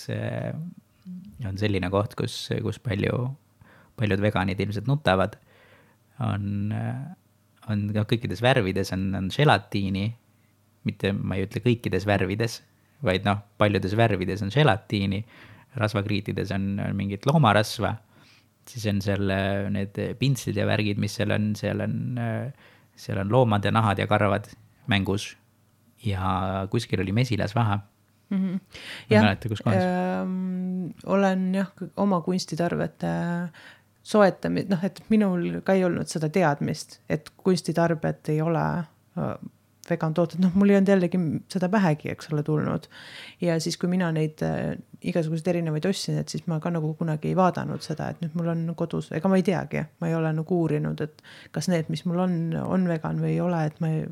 on selline koht, kus, kus palju, paljud veganid ilmselt nutavad, on, on kõikides värvides on, on gelatiini, mitte ma ei ütle kõikides värvides, vaid noh, paljudes värvides on gelatiini, rasvakriitides on mingit loomarasva, siis on seal need pintslid ja värgid, mis seal on, seal on, seal on loomad ja nahad ja karvad mängus ja kuskil oli mesilasvaha. Mm-hmm. Jah, mäleta, kus kohas? Ähm, olen jah, oma kunstitarvete soetamist, noh, et minul ka ei olnud seda teadmist, et kunstitarbed ei ole vegan tooted, noh, mul ei olnud jällegi seda pähegi, eks ole, tulnud. Ja siis, kui mina neid äh, igasuguseid erinevaid ostsin, et siis ma ka nagu kunagi ei vaadanud seda, et nüüd mul on kodus, ega ma ei teagi, ma ei ole nagu uurinud, et kas need, mis mul on, on vegan või ei ole, et ma ei,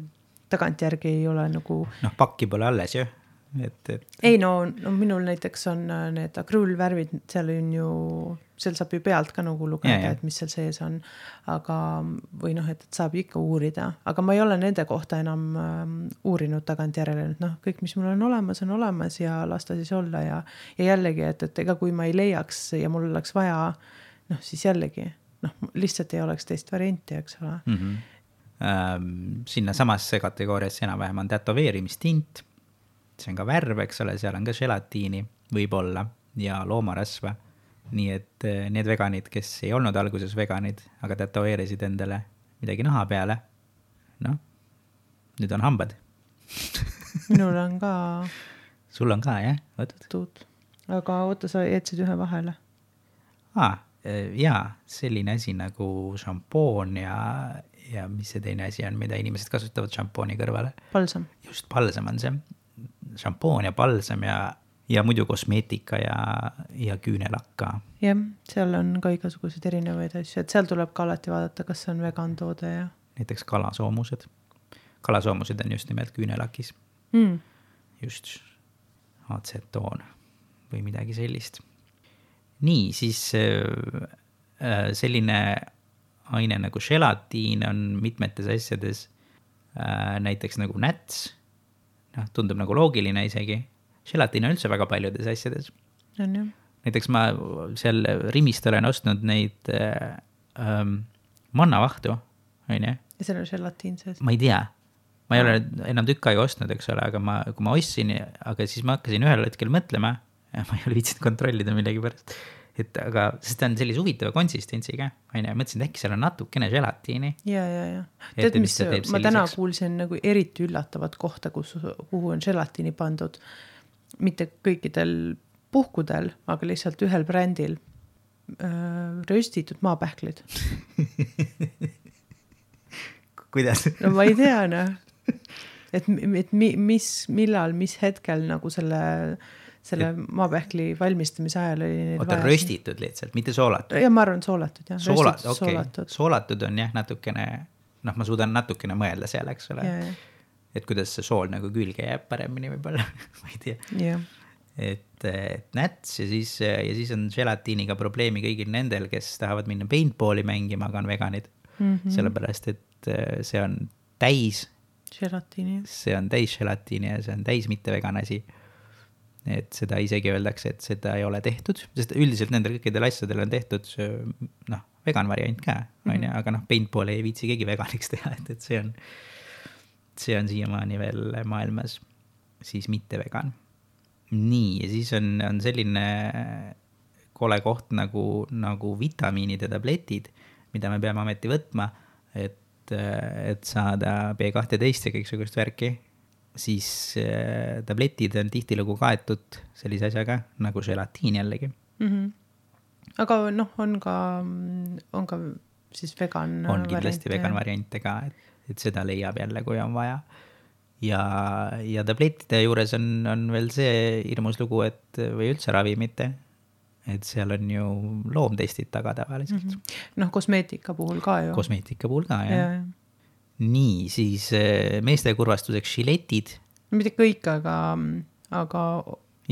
tagantjärgi ei ole nagu... Noh, pakki pole alles ju. Et, et... Ei, no, no minul näiteks on need akrüülvärvid, seal on ju, seal saab ju pealt ka nagu lugeda, ja, ja. Et mis seal sees on, aga, või noh, et, et saab ikka uurida, aga ma ei ole nende kohta enam ähm, uurinud tagantjärele, et noh, kõik, mis mul on olemas, on olemas ja lasta siis olla ja, ja jällegi, et, et ega kui ma ei leiaks ja mul oleks vaja, noh, siis jällegi, noh, lihtsalt ei oleks teist varianti, eks ole. Mm-hmm. Ähm, sinna samasse kategooriasse enam-vähem on tätoveerimistint, see on ka värv, eks ole, seal on ka gelatiini võib-olla ja loomarasva. Nii et need veganid, kes ei olnud alguses veganid, aga tätoveerisid endale midagi naha peale, noh, nüüd on hambad. Minul on ka... Sul on ka, jah? Võtud. Aga oota, sa jätsid ühe vahele. Aa, jaa, selline asi nagu šampoon ja, ja mis see teine asi on, mida inimesed kasutavad šampooni kõrvale? Palsam. Just, palsam on see. Šampoon ja palsam ja, ja muidu kosmeetika ja, ja küünelakka. Jah, seal on ka igasugused erinevaid asju, et seal tuleb ka alati vaadata, kas see on vegan toode ja... Näiteks kalasoomused. Kalasoomused on just nimelt küünelakis. Mm. Just atsetoon või midagi sellist. Nii, siis äh, selline aine nagu gelatiin on mitmetes asjades äh, näiteks nagu näts. No, tundub nagu loogiline isegi. Gelatiin on üldse väga paljudes asjades. On jah. Näiteks ma seal Rimist olen ostnud neid äh, ähm, mannavahtu, on jah? Ja seal on gelatiin sees? Ma ei tea. Ma ei ole enam tükk aega ostnud, eks ole, aga ma, kui ma ostsin, aga siis ma hakkasin ühel hetkel mõtlema, ja ma ei ole viitsinud kontrollida millegi pärast, et aga sest ta on sellise huvitava konsistentsiga, on ja mõtlesin, et äkki seal on natukene gelatiini. Ja, ja, ja. Tead, mis ma täna kuulsin nagu eriti üllatavat kohta, kus, kuhu on gelatiini pandud. Mitte kõikidel puhkudel, aga lihtsalt ühel brändil äh, röstitud maapähklid. Kuidas? No ma ei tea, noh. Et, et mis, millal, mis hetkel nagu selle... selle maapähkli valmistamise ajal oli oota, röstitud lihtsalt, mitte soolatud. Ja ma arvan soolatud, jah. Soolat, okay. soolatud. soolatud on jah natukene noh, ma suudan natukene mõelda seal, eks ole. Yeah. Et kuidas see sool nagu külge jääb paremini võib-olla, ma ei tea. Yeah. Et, et näts ja siis, ja siis on gelatiiniga probleemi kõigil nendel, kes tahavad minna paintballi mängima, aga on veganid. Mm-hmm. Sellepärast, et see on täis gelatiini. See on täis gelatiini ja see on täis mitte vegan asi. Et seda isegi öeldakse, et seda ei ole tehtud, sest üldiselt nendel kõikidel asjadel on tehtud noh, vegan variant ka, mm-hmm. aga noh, paintballi ei viitsi keegi veganiks teha, et, et see on see on siiamaani veel maailmas siis mitte vegan. Nii, ja siis on, on selline kole koht nagu, nagu vitamiinide tabletid, mida me peame ameti võtma, et, et saada B kaksteist ja kõiksugust värki. Siis äh, tabletid on tihtilugu kaetud sellise asjaga nagu gelatiin jällegi. Mm-hmm. Aga noh, on ka, on ka siis vegan on kindlasti variante. Vegan variante ka, et, et seda leiab jälle, kui on vaja. Ja, ja tablettide juures on, on veel see hirmus lugu, et või üldse ravimite, et seal on ju loomtestid taga tavaliselt. Mm-hmm. Noh, kosmeetika puhul ka ju. Kosmeetika puhul ka, jah. Ja. Nii, siis meeste kurvastuseks žiletid. Mitte kõik, aga, aga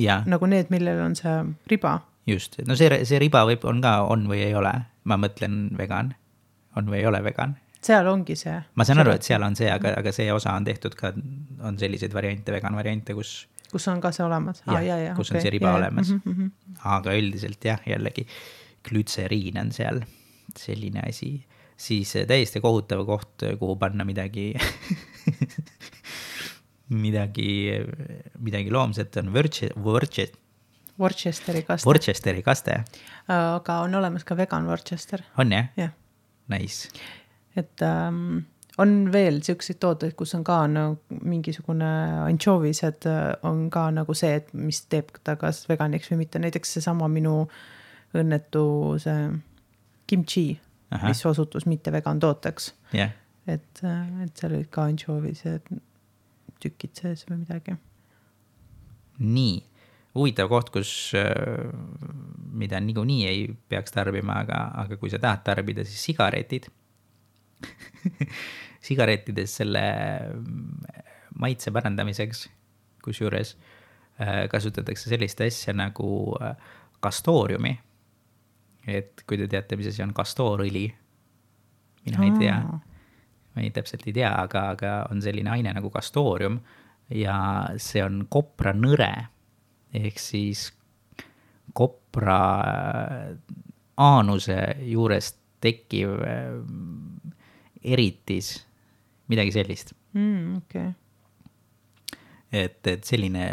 ja. Nagu need, millel on see riba. Just, no see, see riba võib, on ka on või ei ole. Ma mõtlen vegan, on või ei ole vegan. Seal ongi see. Ma saan aru, et seal on see, aga, aga see osa on tehtud ka, on selliseid variante, vegan variante, kus... Kus on ka see olemas. Ja, ah, ja, ja, kus okay. on see riba ja, olemas. Mm -hmm. Aga üldiselt jah, jällegi glütseriin on seal selline asi. Siis täiesti kohutav koht, kuhu panna midagi, midagi, midagi loomset on Worcester. Worcesteri kaste. Worcesteri kaste. Aga on olemas ka vegan Worcester. On jah? Jah. Nice. Et um, on veel selliseid tooteid, kus on ka nagu mingisugune anchovised on ka nagu see, et mis teeb ta kas veganiks või mitte. Näiteks see sama minu õnnetu see kimchi. Aha. Mis osutus mitte vegan tooteks. Yeah. Et, et seal olid ka anchovised tükid sees või midagi. Nii, huvitav koht, kus mida niikuinii ei peaks tarbima, aga, aga kui sa tahad tarbida, siis sigaretid. Sigarettides selle maitse parandamiseks, kus juures kasutatakse sellist asja nagu kastooriumi. Et kui te teate, mis asi on kastoorõli, mina ei tea, ma ei täpselt ei tea, aga, aga on selline aine nagu kastoorium ja see on kopra nõre, ehk siis kopra aanuse juurest tekkiv eritis, midagi sellist. Mm, okay. Et, et selline...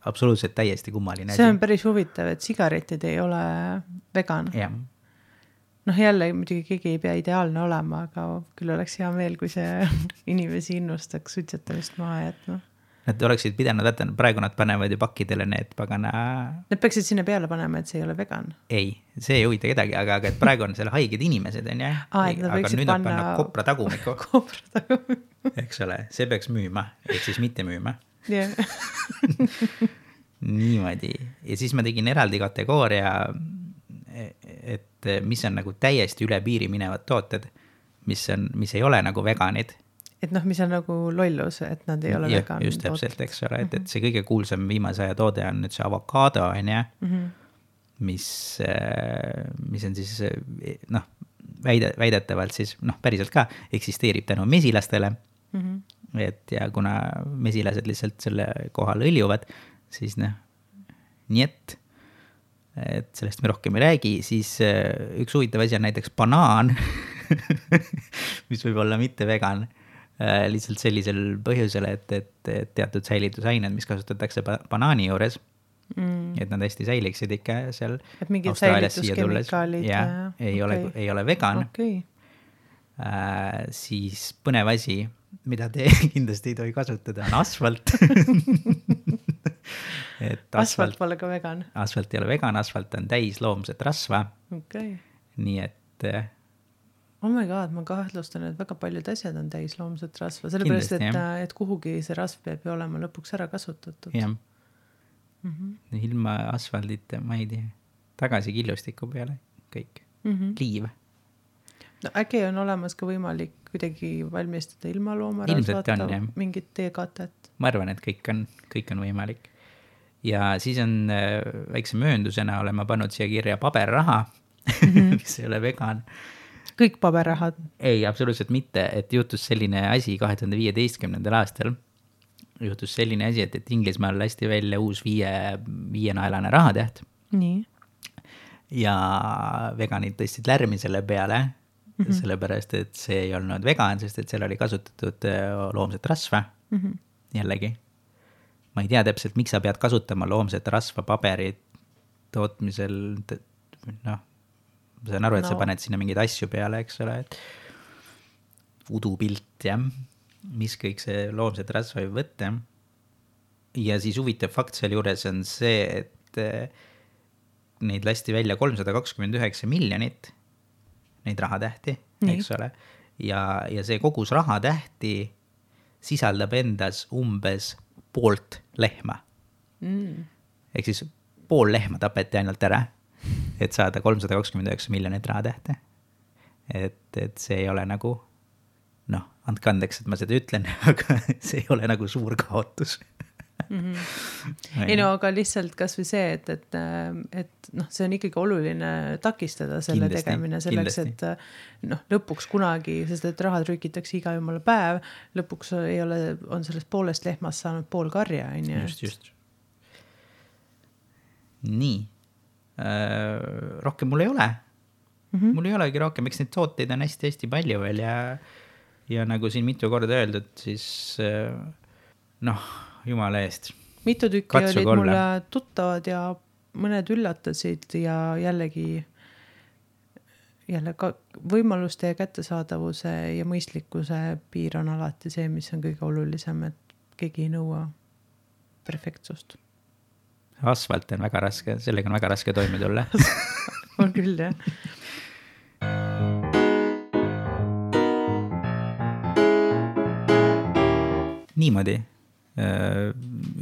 absoluutselt täiesti kummaline. See on päris huvitav, et sigaretid ei ole vegan. Yeah. Noh, jälle muidugi keegi ei pea ideaalne olema, aga küll oleks hea meel, kui see inimesi innustaks suitsetamist maha jätma. Nad oleksid pidanud, vaata, praegu nad panevad ju pakkidele need pagana... Nad peaksid sinna peale panema, et see ei ole vegan. Ei, see ei huvita kedagi, aga, aga et praegu on selle haiged inimesed, on jah? Aa, aga nüüd nad panna kopra tagumiku. Kopra tagumiku. Eks ole, see peaks müüma, et siis mitte müüma. Yeah. Niimoodi. Ja siis ma tegin eraldi kategooria, et mis on nagu täiesti üle piiri minevad tooted, mis, on, mis ei ole nagu veganid. Et noh, mis on nagu lollus, et nad ei ole ja, vegan. Just täpselt, eks ole, et, et see kõige kuulsam viimase aja toode on nüüd see avokaado, on ja, mm-hmm. mis, mis on siis noh, väide, väidetavalt siis, noh, päriselt ka eksisteerib tänu mesilastele. Mm-hmm. Et ja kuna mesilased lihtsalt selle kohal õljuvad, siis noh, nii et, et sellest me rohkem ei räägi, siis üks huvitav asi on näiteks banaan, mis võib olla mitte vegan, lihtsalt sellisel põhjusel, et, et, et teatud säilitusained, mis kasutatakse banaani juures, mm. et nad hästi säiliksid ikka seal Austraalias siia tulles. Ja, ei, okay. ole, ei ole vegan. Okay. Äh, siis põnev asi, mida te kindlasti ei tohi kasutada, on asfalt. et asfalt, asfalt pole ka vegan. Asfalt ei ole vegan, asfalt on täis loomset rasva. Okay. Nii et... Oh my god, ma kahtlustan, et väga paljud asjad on täis loomset rasva. Sellepärast, et, et kuhugi see rasv peab ju olema lõpuks ära kasutatud. Jah. Mm-hmm. Ilma asfaldita, ma ei tea, tagasi killustiku peale kõik. Mm-hmm. Liiv. no äkki on olemas ka võimalik kuidagi valmistada ilma loomarasvata mingit teekatet? Ma arvan, et kõik on, kõik on võimalik. Ja siis on äh, väikse mööndusena olen ma pannud siia kirja paberraha, mm-hmm. mis ei ole vegan. Kõik paberrahad? Ei, absoluutselt mitte, et juhtus selline asi kahe tuhande viieteistkümnendal aastal. Juhtus selline asi, et, et Inglismaal lasti välja uus viie, viienaelane rahatäht. Nii. Ja veganid tõstsid lärmi selle peale, mm-hmm. sellepärast, et see ei olnud vegan, sest et seal oli kasutatud loomset rasva. Mm-hmm. Jällegi. Ma ei tea täpselt, miks sa pead kasutama loomset rasva paberit tootmisel, noh, ma saan aru, et no. sa paned sinna mingeid asju peale, eks ole, et udupilt, jah, mis kõik see loomset rasva võib võtta. Ja siis huvitav fakt seal juures on see, et neid lasti välja kolmsada kakskümmend üheksa miljonit, neid rahatähti, eks ole, ja, ja see kogus rahatähti sisaldab endas umbes poolt lehma. Mm. Ehk siis pool lehma tapeti ainult ära, et saada kolmsada kakskümmend üheksa miljonit rahatähti. Et, et see ei ole nagu, noh, andke andeks, et ma seda ütlen, aga see ei ole nagu suur kaotus. Mm-hmm. ei no, aga lihtsalt kas või see, et, et, et noh, see on ikkagi oluline takistada selle kindlasti, tegemine selleks, kindlasti. Et noh, lõpuks kunagi, sest et raha trükitakse iga jumala päev, lõpuks ei ole, on sellest poolest lehmast saanud pool karja. Just, just. Nii. Äh, rohkem mul ei ole. Mm-hmm. Mul ei olegi rohkem, eks neid tooteid on hästi-hästi palju veel ja, ja nagu siin mitu korda öeldud, siis noh, jumala eest. Mitu tükki Katsuga olid mulle tuttavad ja mõned üllatasid ja jällegi jälle ka võimaluste ja kättesaadavuse ja mõistlikkuse piir on alati see, mis on kõige olulisem, et keegi ei nõua perfektsust. Asfalt on väga raske, sellega on väga raske toime tulla. on küll, jah. Niimoodi.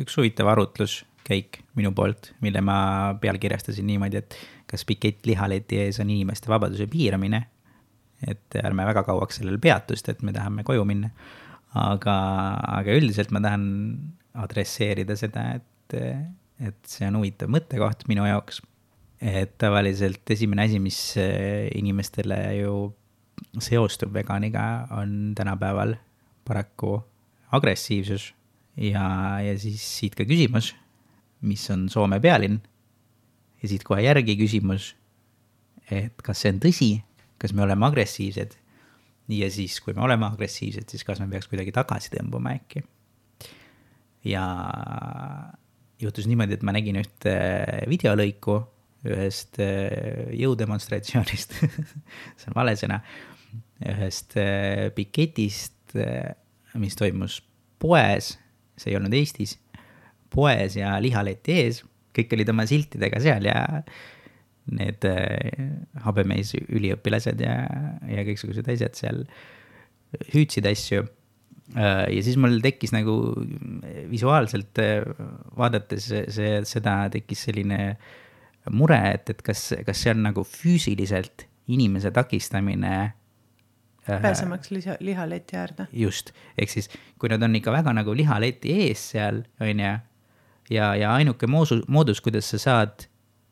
Üks huvitav arutluskäik minu poolt, mille ma pealkirjastasin niimoodi, et kas pikett lihaleti ees on inimeste vabaduse piiramine, et ärme väga kauaks sellel peatust, et me tahame koju minna. Aga, aga üldiselt ma tahan adresseerida seda, et, et see on huvitav mõttekoht minu jaoks. Et tavaliselt esimene asi, mis inimestele ju seostub veganiga, on tänapäeval paraku agressiivsus. Ja, ja siis siit ka küsimus, mis on Soome pealinn. Ja siit kohe järgi küsimus, et kas see on tõsi, kas me oleme agressiivsed. Ja siis, kui me oleme agressiivsed, siis kas me peaks kuidagi tagasi tõmbuma äkki. Ja juhtus niimoodi, et ma nägin ühte videolõiku ühest jõudemonstratsioonist, see on vale sõna, ühest piketist, mis toimus poes, see ei olnud Eestis, poes ja lihaleti ees, kõik olid oma siltidega seal ja need habemeis üliõpilased ja, ja kõiksugused asjad seal hüüdsid asju. Ja siis mul tekkis nagu visuaalselt vaadates see, seda tekkis selline mure, et, et kas, kas see on nagu füüsiliselt inimese takistamine pääsemaks liha, lihaleti äärde. Just, ehk siis kui nad on ikka väga nagu lihaleti ees seal, on ja, ja, ja ainuke moosu, moodus, kuidas sa saad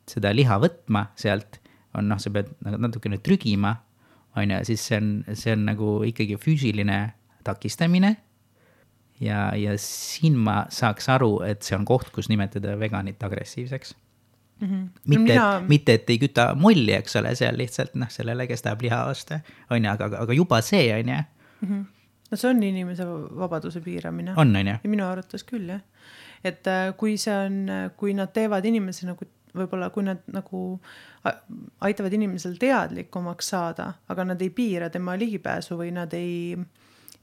seda liha võtma sealt, on noh, sa pead natukene trügima, on ja, siis see on, see on nagu ikkagi füüsiline takistamine ja, ja siin ma saaks aru, et see on koht, kus nimetada veganit agressiivseks. Mm-hmm. Mitte, mina... mitte, et ei küta molli, eks ole, seal lihtsalt noh, sellele, kes tahab liha osta, on ja, aga, aga juba see on ja. Mm-hmm. No see on inimese vabaduse piiramine. On, on ja. Ja minu arvates küll, jah. Et kui see on, kui nad teevad inimese nagu, võib-olla kui nad nagu aitavad inimesel teadlikumaks saada, aga nad ei piira tema ligipääsu või nad ei,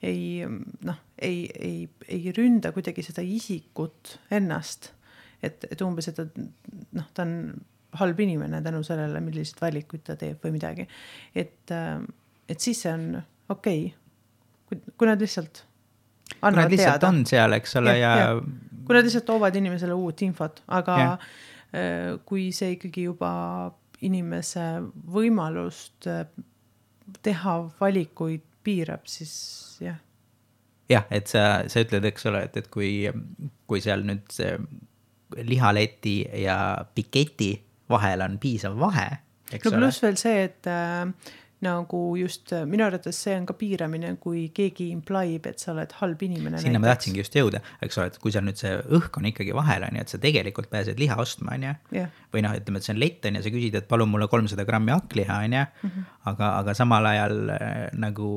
ei, noh, ei, ei, ei ründa kuidagi seda isikut ennast. Et, et umbes, et noh, ta on halb inimene tänu sellele, millised valikuid ta teeb või midagi. Et, et siis see on okei, kui, kui nad lihtsalt annavad nad lihtsalt teada. On seal, eks ole, ja, ja... ja... kui nad lihtsalt toovad inimesele uut infot, aga ja. Kui see ikkagi juba inimese võimalust teha valikuid piirab, siis jah. Jah, et sa, sa ütled, eks ole, et, et kui, kui seal nüüd see lihaleti ja piketi vahel on piisav vahe, eks no ole. Pluss veel see, et äh, nagu just minu arvates see on ka piiramine, kui keegi implaib, et sa oled halb inimene. Sinna näiteks. Ma tahtsingi just jõuda, eks ole, et kui seal nüüd see õhk on ikkagi vahel, on ju, et sa tegelikult pääsed liha ostma, on ju. Yeah. Või noh, ütleme, et see on lett, on ja sa küsid, et palun mulle kolmsada grammi hakkliha, on ju. Mm-hmm. Aga, aga samal ajal äh, nagu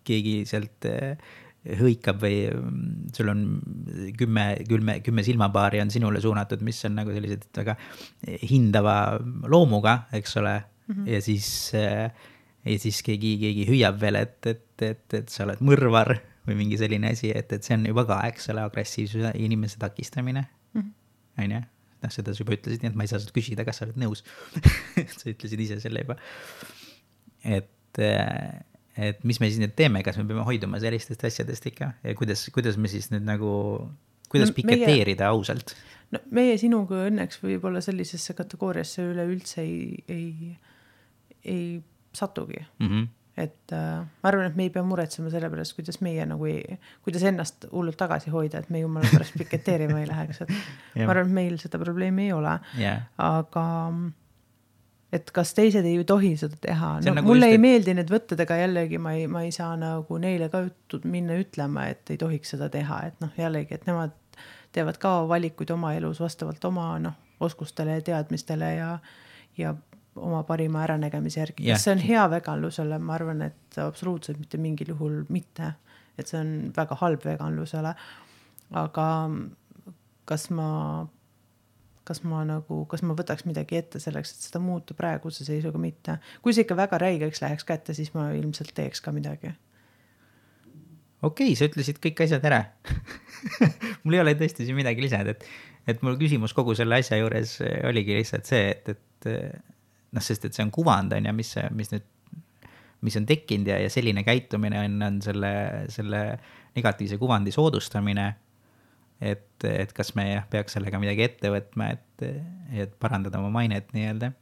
keegi sealt äh, hõikab või sul on kümme, kümme, kümme silmapaari on sinule suunatud, mis on nagu sellised väga hindava loomuga, eks ole. Mm-hmm. Ja siis... Äh, ja siis keegi, keegi hüüab veel, et, et, et, et sa oled mõrvar või mingi selline asi, et, et see on juba ka, eks ole, agressiivsuse inimese takistamine. Mm-hmm. On ju? Noh, seda sa juba ütlesid, nii et ma ei saa seda küsida, kas sa oled nõus. Sa ütlesid ise selle juba. Et, et mis me siis nüüd teeme, kas me peame hoiduma sellistest asjadest ikka ja kuidas, kuidas me siis nüüd nagu, kuidas no, piketeerida meie, ausalt? No meie sinuga õnneks võib-olla sellisesse kategooriasse üle üldse ei, ei, ei satugi. Mm-hmm. Et äh, ma arvan, et me ei pea muretsema selle pärast, kuidas meie nagu ei, kuidas ennast hullult tagasi hoida, et me jumala pärast piketeerima ei läheks. Et ma arvan, et meil seda probleemi ei ole. Yeah. Aga et kas teised ei tohi seda teha? No, nagu mulle just, ei et... meeldi need võttedega jällegi, ma ei, ma ei saa nagu neile ka minna ütlema, et ei tohiks seda teha. Et noh, jällegi, et nemad teevad ka valikuid oma elus vastavalt oma noh, oskustele ja teadmistele ja, ja oma parima äranägemise järgi. Yeah. See on hea veganlusele, ma arvan, et absoluutselt mitte mingil juhul mitte, et see on väga halb veganlusele. Aga kas ma, kas ma nagu, kas ma võtaks midagi ette selleks, et seda muuta praeguse seisuga mitte. Kui see ikka väga räigeks läheks kätte, siis ma ilmselt teeks ka midagi. Okei, sa ütlesid kõik asjad ära. Mul ei ole tõesti siin midagi lisada, et, et mul küsimus kogu selle asja juures oligi lihtsalt see, et, et noh, sest et see on kuvand, on ja mis, mis nüüd, mis on tekkinud ja, ja selline käitumine on, on selle, selle negatiivse kuvandi soodustamine, et, et kas me peaks sellega midagi ette võtma, et, et parandada oma mainet nii-öelda.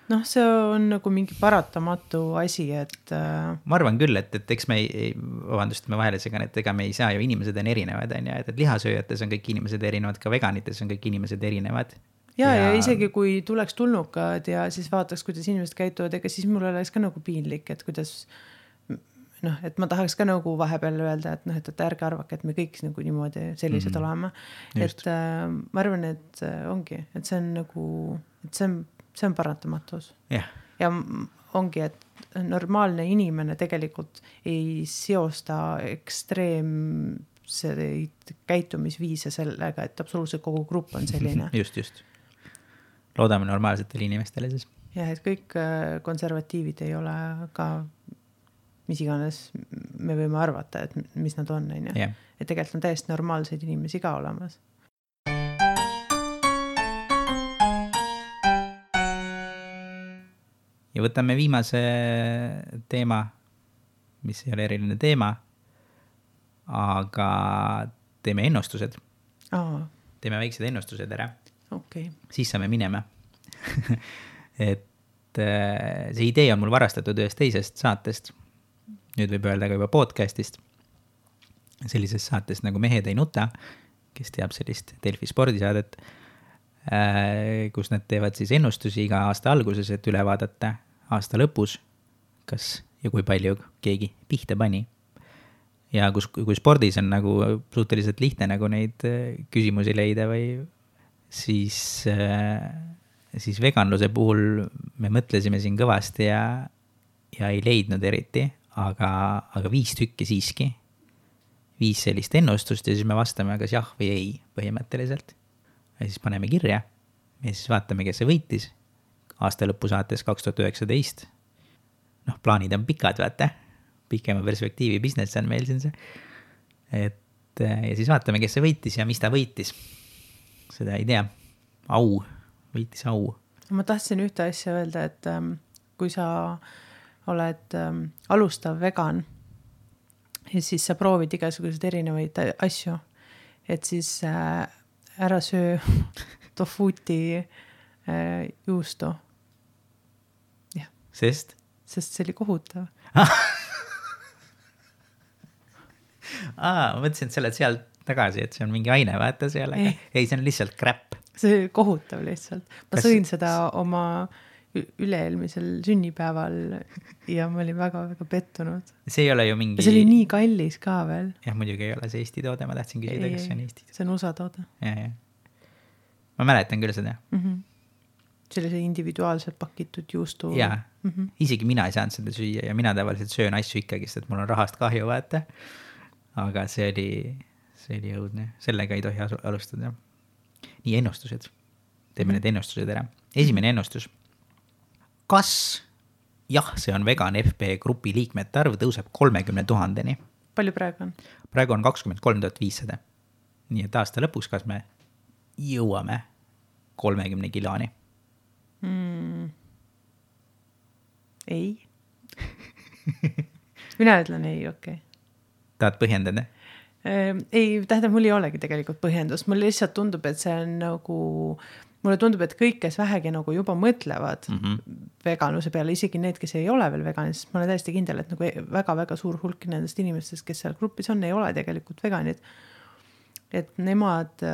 Noh, see on nagu mingi paratamatu asi, et... Ma arvan küll, et, et eks me ei, vabandust, me vahele segan, et ega me ei saa ju, inimesed on erinevad, on ja, et, et lihasööjates on kõik inimesed erinevad, ka veganites on kõik inimesed erinevad. Ja, ja, ja isegi kui tuleks tulnukad ja siis vaataks, kuidas inimesed käituvad, ega siis mul oleks ka nagu piinlik, et kuidas, noh, et ma tahaks ka nagu vahepeal öelda, et noh, et, et ärge arvake, et me kõik nagu niimoodi sellised mm-hmm. oleme. Just. Et äh, ma arvan, et ongi, et see on nagu, et see on, see on paratamatus. Yeah. Ja ongi, et normaalne inimene tegelikult ei seosta ekstreemseid käitumisviise sellega, et absoluutselt kogu grupp on selline. Just, just. Loodame normaalsetele inimestele siis. Ja, et kõik konservatiivid ei ole ka, mis iganes me võime arvata, et mis nad on. Yeah. Et tegelikult on täiesti normaalseid inimesi ka olemas. Ja võtame viimase teema, mis ei ole eriline teema, aga teeme ennustused. Aa. Teeme väiksed ennustused ära. Okay. Siis saame minema. Et see idee on mul varastatud ühest teisest saatest. Nüüd võib öelda ka juba podcastist. Sellisest saatest nagu Mehed ei nuta, kes teab sellist Delfi spordisaadet, kus nad teevad siis ennustusi iga aasta alguses, et üle vaadata aasta lõpus, kas ja kui palju keegi pihta pani. Ja kus, kui spordis on nagu suhteliselt lihtne nagu neid küsimusi leida või siis, siis veganluse puhul me mõtlesime siin kõvasti ja, ja ei leidnud eriti, aga, aga viis tükki siiski. Viis sellist ennustust ja siis me vastame kas jah või ei põhimõtteliselt. Ja siis paneme kirja ja siis vaatame, kes see võitis. Aasta lõpu saates kaks tuhat üheksateist. Noh, plaanid on pikad, vaata. Pikema perspektiivi business on meil siin see. Et, ja siis vaatame, kes see võitis ja mis ta võitis. Seda ei tea. Au. Võitis au. Ma tahtsin ühte asja öelda, et ähm, kui sa oled ähm, alustav vegan ja siis sa proovid igasugused erinevaid asju, et siis äh, ära söö tofuti äh, juustu. Ja. Sest? sest see oli kohutav. Aa, ma mõtlesin, et sa oled sealt tagasi, et see on mingi aine, vaata seal, aga ei, ei see on lihtsalt crap. See oli kohutav lihtsalt. Ma Kas... sõin seda oma üle-eelmisel sünnipäeval ja ma olin väga-väga pettunud. See ei ole ju mingi... See oli nii kallis ka veel. Jah, muidugi ei ole see Eesti toode, ma tahtsin küsida, kas see on Eesti toode. See on U S A toode. Ja, ja. Ma mäletan küll seda. Mm-hmm. See oli see individuaalselt pakitud juustu. Jaa, mm-hmm. Isegi mina ei saanud seda süüa ja mina tavaliselt söön asju ikkagi, sest mul on rahast kahju, vaata. Aga see oli, see oli õudne. Sellega ei tohi alustada. Nii, ennustused. Teeme mm-hmm. need ennustused ära. Esimene ennustus. Kas jah, see on vegan F B grupi liikmete arv tõuseb kolmekümne tuhandeni? Palju praegu on? Praegu on kakskümmend kolm tuhat viissada. Nii et aasta lõpuks, kas me jõuame kolmekümne kiloni? Mm. Ei. Mina ütlen ei, okei. Okay. Tahad põhjendada? Ei, tähendab, mul ei olegi tegelikult põhjendust. Mul lihtsalt tundub, et see on nagu... Mulle tundub, et kõik, kes vähegi nagu juba mõtlevad mm-hmm. veganuse peale, isegi need, kes ei ole veel veganid, sest ma olen täiesti kindel, et nagu väga-väga suur hulk nendest inimestest, kes seal grupis on, ei ole tegelikult veganid. Et nemad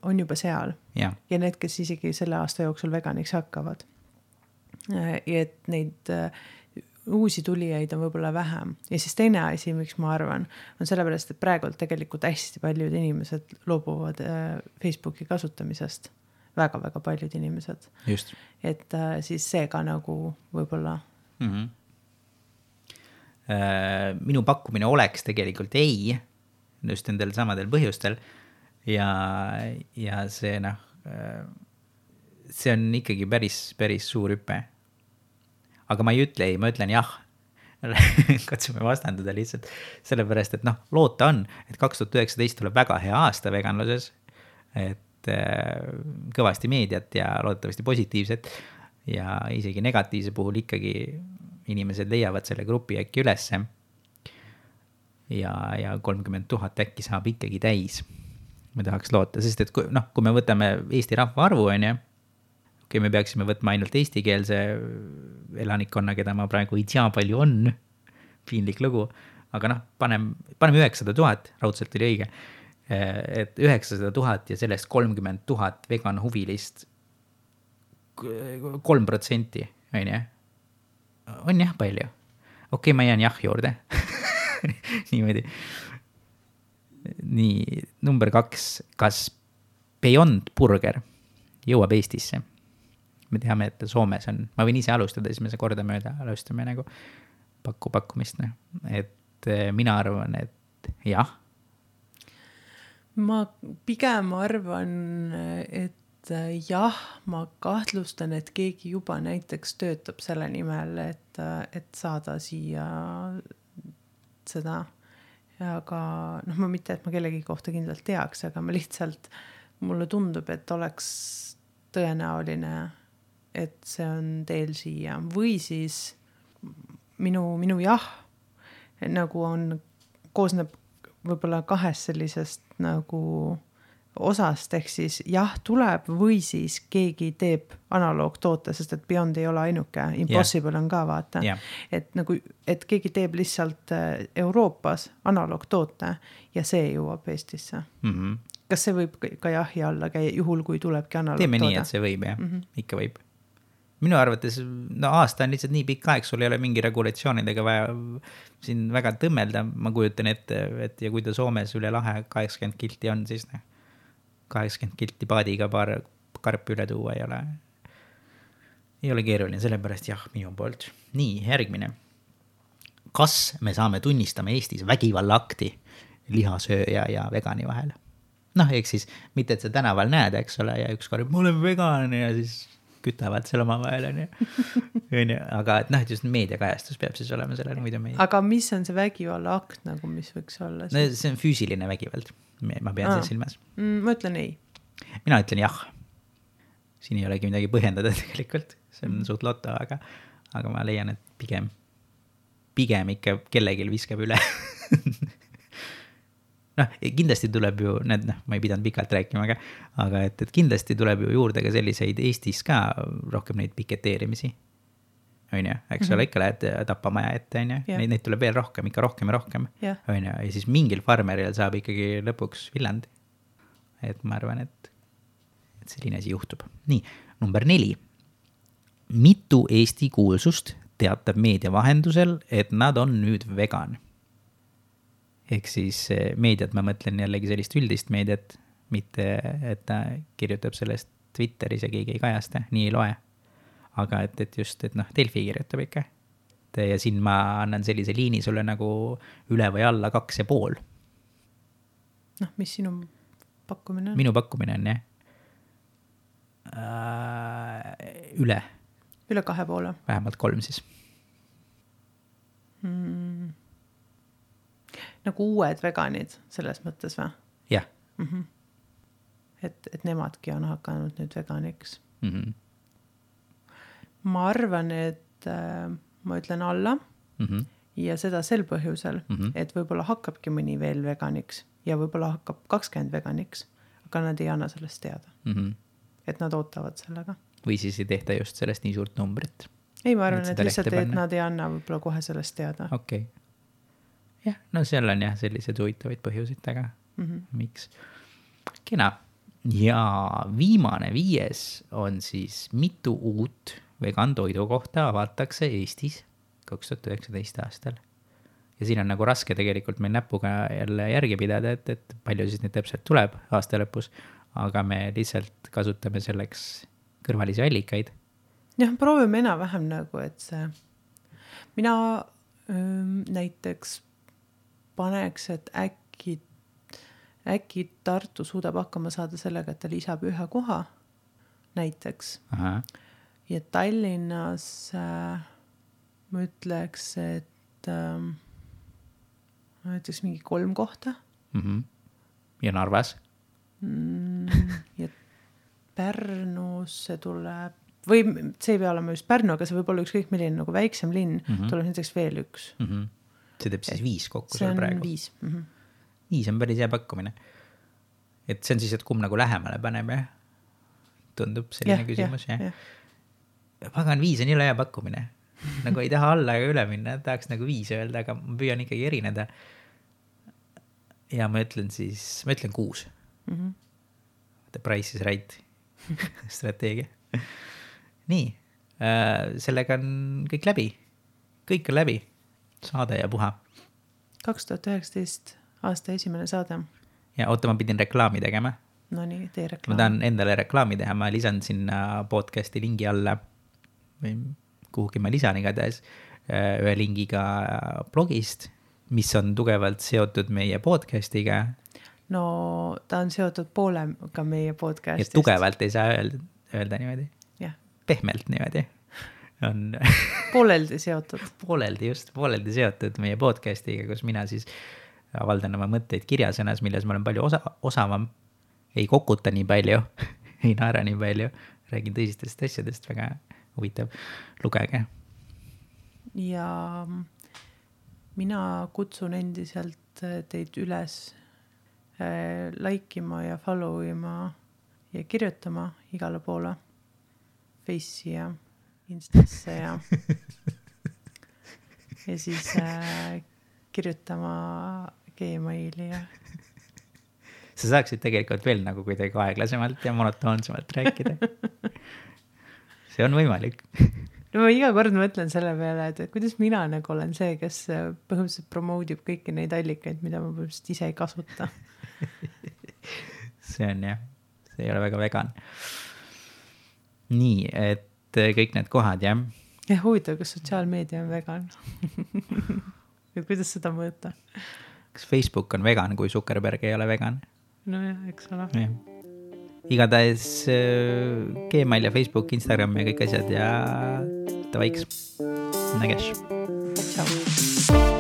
on juba seal. Ja, ja need, kes isegi selle aasta jooksul veganiks hakkavad. Ja et neid uusi tulijaid on võib-olla vähem. Ja siis teine asi, miks ma arvan, on sellepärast, et praegu tegelikult hästi paljud inimesed loobuvad Facebooki kasutamisest. Väga-väga paljud inimesed. Just. Et äh, siis see ka nagu võib-olla. Mm-hmm. Äh, minu pakkumine oleks tegelikult ei, just nendel samadel põhjustel. Ja, ja see, noh, äh, see on ikkagi päris, päris suur hüpe. Aga ma ei ütle ei, ma ütlen jah. Katsume vastandada lihtsalt sellepärast, et noh, loota on, et kaks tuhat üheksateist tuleb väga hea aasta veganluses. Et kõvasti meediat ja loodetavasti positiivset ja isegi negatiivse puhul ikkagi inimesed leiavad selle grupi äkki ülesse ja, ja kolmkümmend tuhat äkki saab ikkagi täis. Me tahaks loota, sest et kui, noh, kui me võtame Eesti rahva arvu, on ja, kui me peaksime võtma ainult eestikeelse elanikkonna, keda ma praegu ei tea palju on, piinlik lugu, aga noh, panem, paneme üheksasada tuhat, raudselt oli õige, et üheksasada tuhat ja sellest kolmkümmend tuhat vegan huvilist kolm protsenti, on jah? On jah palju? Okei, okay, ma jään jah juurde. Niimoodi. Nii, number kaks. Kas Beyond Burger jõuab Eestisse? Me teame, et Soomes on, ma võin ise alustada, siis me see korda mööda alustame nagu pakku pakkumist. Et mina arvan, et jah. Ma pigem arvan, et jah, ma kahtlustan, et keegi juba näiteks töötab selle nimel, et, et saada siia seda. Aga noh, ma mitte, et ma kellegi kohta kindlalt teaks, aga ma lihtsalt, mulle tundub, et oleks tõenäoline, et see on teel siia. Või siis minu, minu jah, nagu on, koosneb võib-olla kahest sellisest nagu osast, ehk siis jah tuleb või siis keegi teeb analoogtoote, sest et Beyond ei ole ainuke, Impossible yeah. on ka vaata, yeah. et nagu, et keegi teeb lihtsalt Euroopas analoogtoote ja see jõuab Eestisse. Mm-hmm. Kas see võib ka jahi alla käia juhul, kui tulebki analoogtoote? Teeme nii, et see võib, jah, mm-hmm. ikka võib. Minu arvates, no aasta on lihtsalt nii pikk aeg, sul ei ole mingi regulatsioonidega vaja siin väga tõmmelda. Ma kujutan ette, et ja kui ta Soomes üle lahe kaheksakümmend kilti on, siis ne, kaheksakümmend kilti paadiga paar karpi üle tuua ei ole, ei ole keeruline, sellepärast jah, minu poolt. Nii, järgmine. Kas me saame tunnistama Eestis vägivallaakti lihasööja ja vegani vahel? Noh, eks siis, mitte et sa tänaval näed, eks ole, ja üks kord, ma olen vegan ja siis kütavad seal oma vahel, on ju. Aga et noh, et just meediakajastus peab siis olema sellel muidu meie. Aga mis on see vägivalla akt, nagu mis võiks olla? No, see on füüsiline vägivald. Ma pean Aa. see silmas. Mm, ma ütlen ei. Mina ütlen jah. Siin ei olegi midagi põhjendada tegelikult. See on mm. suht loto, aga, aga ma leian, et pigem, pigem ikka kellelgi viskab üle. Noh, kindlasti tuleb ju, need, noh, ma ei pidanud pikalt rääkima, aga, aga et, et kindlasti tuleb ju juurde ka selliseid Eestis ka rohkem neid piketeerimisi. on ju, eks Mhm. ole, ikka lähed tapamaja ette, on ju, Jah. neid, neid tuleb veel rohkem, ikka rohkem ja rohkem, Jah. on ju, ja siis mingil farmeril saab ikkagi lõpuks Viljandi. Et ma arvan, et, et selline asi juhtub. Nii, number neli. Mitu Eesti kuulsust teatab meedia vahendusel, et nad on nüüd vegan? Ehk siis eh, meediat, ma mõtlen jällegi sellist üldist meediat, mitte et ta kirjutab sellest Twitteris ja keegi ei kajasta, nii ei loe. Aga et, et just, et noh, Delfi kirjutab ikka. Et, ja siin ma annan sellise liini sulle nagu üle või alla kaks ja pool. Noh, mis sinu pakkumine on? Minu pakkumine on jah äh, üle, Üle kahe poole. vähemalt kolm siis. Mm. Nagu uued veganid selles mõttes või? Jah. Mm-hmm. Et, et nemadki on hakanud nüüd veganiks. Mm-hmm. Ma arvan, et äh, ma ütlen alla Mm-hmm. ja seda sel põhjusel, Mhm. et võib-olla hakkabki mõni veel veganiks ja võib-olla hakkab kakskümmend veganiks, aga nad ei anna sellest teada. Mm-hmm. Et nad ootavad sellega. Või siis ei tehta just sellest nii suurt numbrit. Ei, ma arvan, Et et seda lihtsalt, lehte et panna. nad ei anna võib-olla kohe sellest teada. Okei. Okay. Jah, no seal on jah sellised huvitavaid põhjusid, aga Mm-hmm. miks? Kena. Ja viimane viies on siis mitu uut vegan toidu kohta avatakse Eestis kaks tuhat üheksateist aastal. Ja siin on nagu raske tegelikult meil näpuga jälle järgi pidada, et, et palju siis neid täpselt tuleb aasta lõpus, aga me lihtsalt kasutame selleks kõrvalisi allikaid. Jah, proovime enam-vähem nagu, et see, mina öö, näiteks paneks, et äkki, äkki Tartu suudab hakkama saada sellega, et ta lisab ühe koha näiteks. Aha. Ja Tallinnas äh, ma ütleks, et äh, näiteks mingi kolm kohta. Mm-hmm. Ja Narvas? Mm, ja Pärnus see tuleb, või see ei pea olema just Pärnu, aga see võib olla ükskõik milline nagu väiksem linn, Mhm. tuleb näiteks veel üks. Mm-hmm. See teeb siis viis kokku See seal on praegu. viis. Mm-hmm. Viis on päris hea pakkumine. Et see on siis, et kumb nagu lähemale paneb, jah? Tundub selline küsimus, jah? jah. Pagan, viis on jõle hea pakkumine. Nagu ei taha alla ega üle minna, tahaks nagu viis öelda, aga ma püüan ikkagi erineda. Ja ma ütlen siis, ma ütlen kuus. Mm-hmm. The price is right strateegia. Nii, äh, sellega on kõik läbi. Kõik on läbi. Saade ja puha. kaks tuhat üheksateist aasta esimene saade. Ja oota, ma pidin reklaami tegema. No nii, tee Ma reklaam. tahan endale reklaami teha, ma lisan sinna podcasti lingi alla või kuhugi ma lisan igatahes ühe lingiga blogist, mis on tugevalt seotud meie podcastiga. No ta on seotud poolega meie Ja podcastist. tugevalt ei saa öelda, öelda niimoodi. Jah, Pehmelt niimoodi. On pooleldi seotud. pooleldi just, pooleldi seotud meie podcastiga, kus mina siis avaldan oma mõtteid kirjasõnas, milles ma olen palju osa, osavam. Ei kokuta nii palju, ei naera nii palju, räägin tõsistest asjadest, väga huvitav, lugege. Ja mina kutsun endiselt teid üles äh, laikima ja follow ima ja kirjutama igale poole Face'i ja Instasse ja ja siis äh, kirjutama Gmaili ja Sa saaksid tegelikult veel nagu kuidagi aeglasemalt ja monotoonsemalt rääkida. See on võimalik. No ma iga kord mõtlen selle peale, et kuidas mina nagu olen see, kes põhimõtteliselt promoodib kõiki neid allikaid, mida ma põhimõtteliselt ise ei kasuta. See on jah, see ei ole väga vegan. Nii, et kõik need kohad, jah? Ja huvitav, kas sotsiaalmeedia on vegan? Ja kuidas seda mõõta? Kas Facebook on vegan, kui Zuckerberg ei ole vegan? No jah, eks ole. Ja. Igatahes Gmail ja Facebook, Instagram ja kõik asjad ja tavaiks. Näges. Tšau.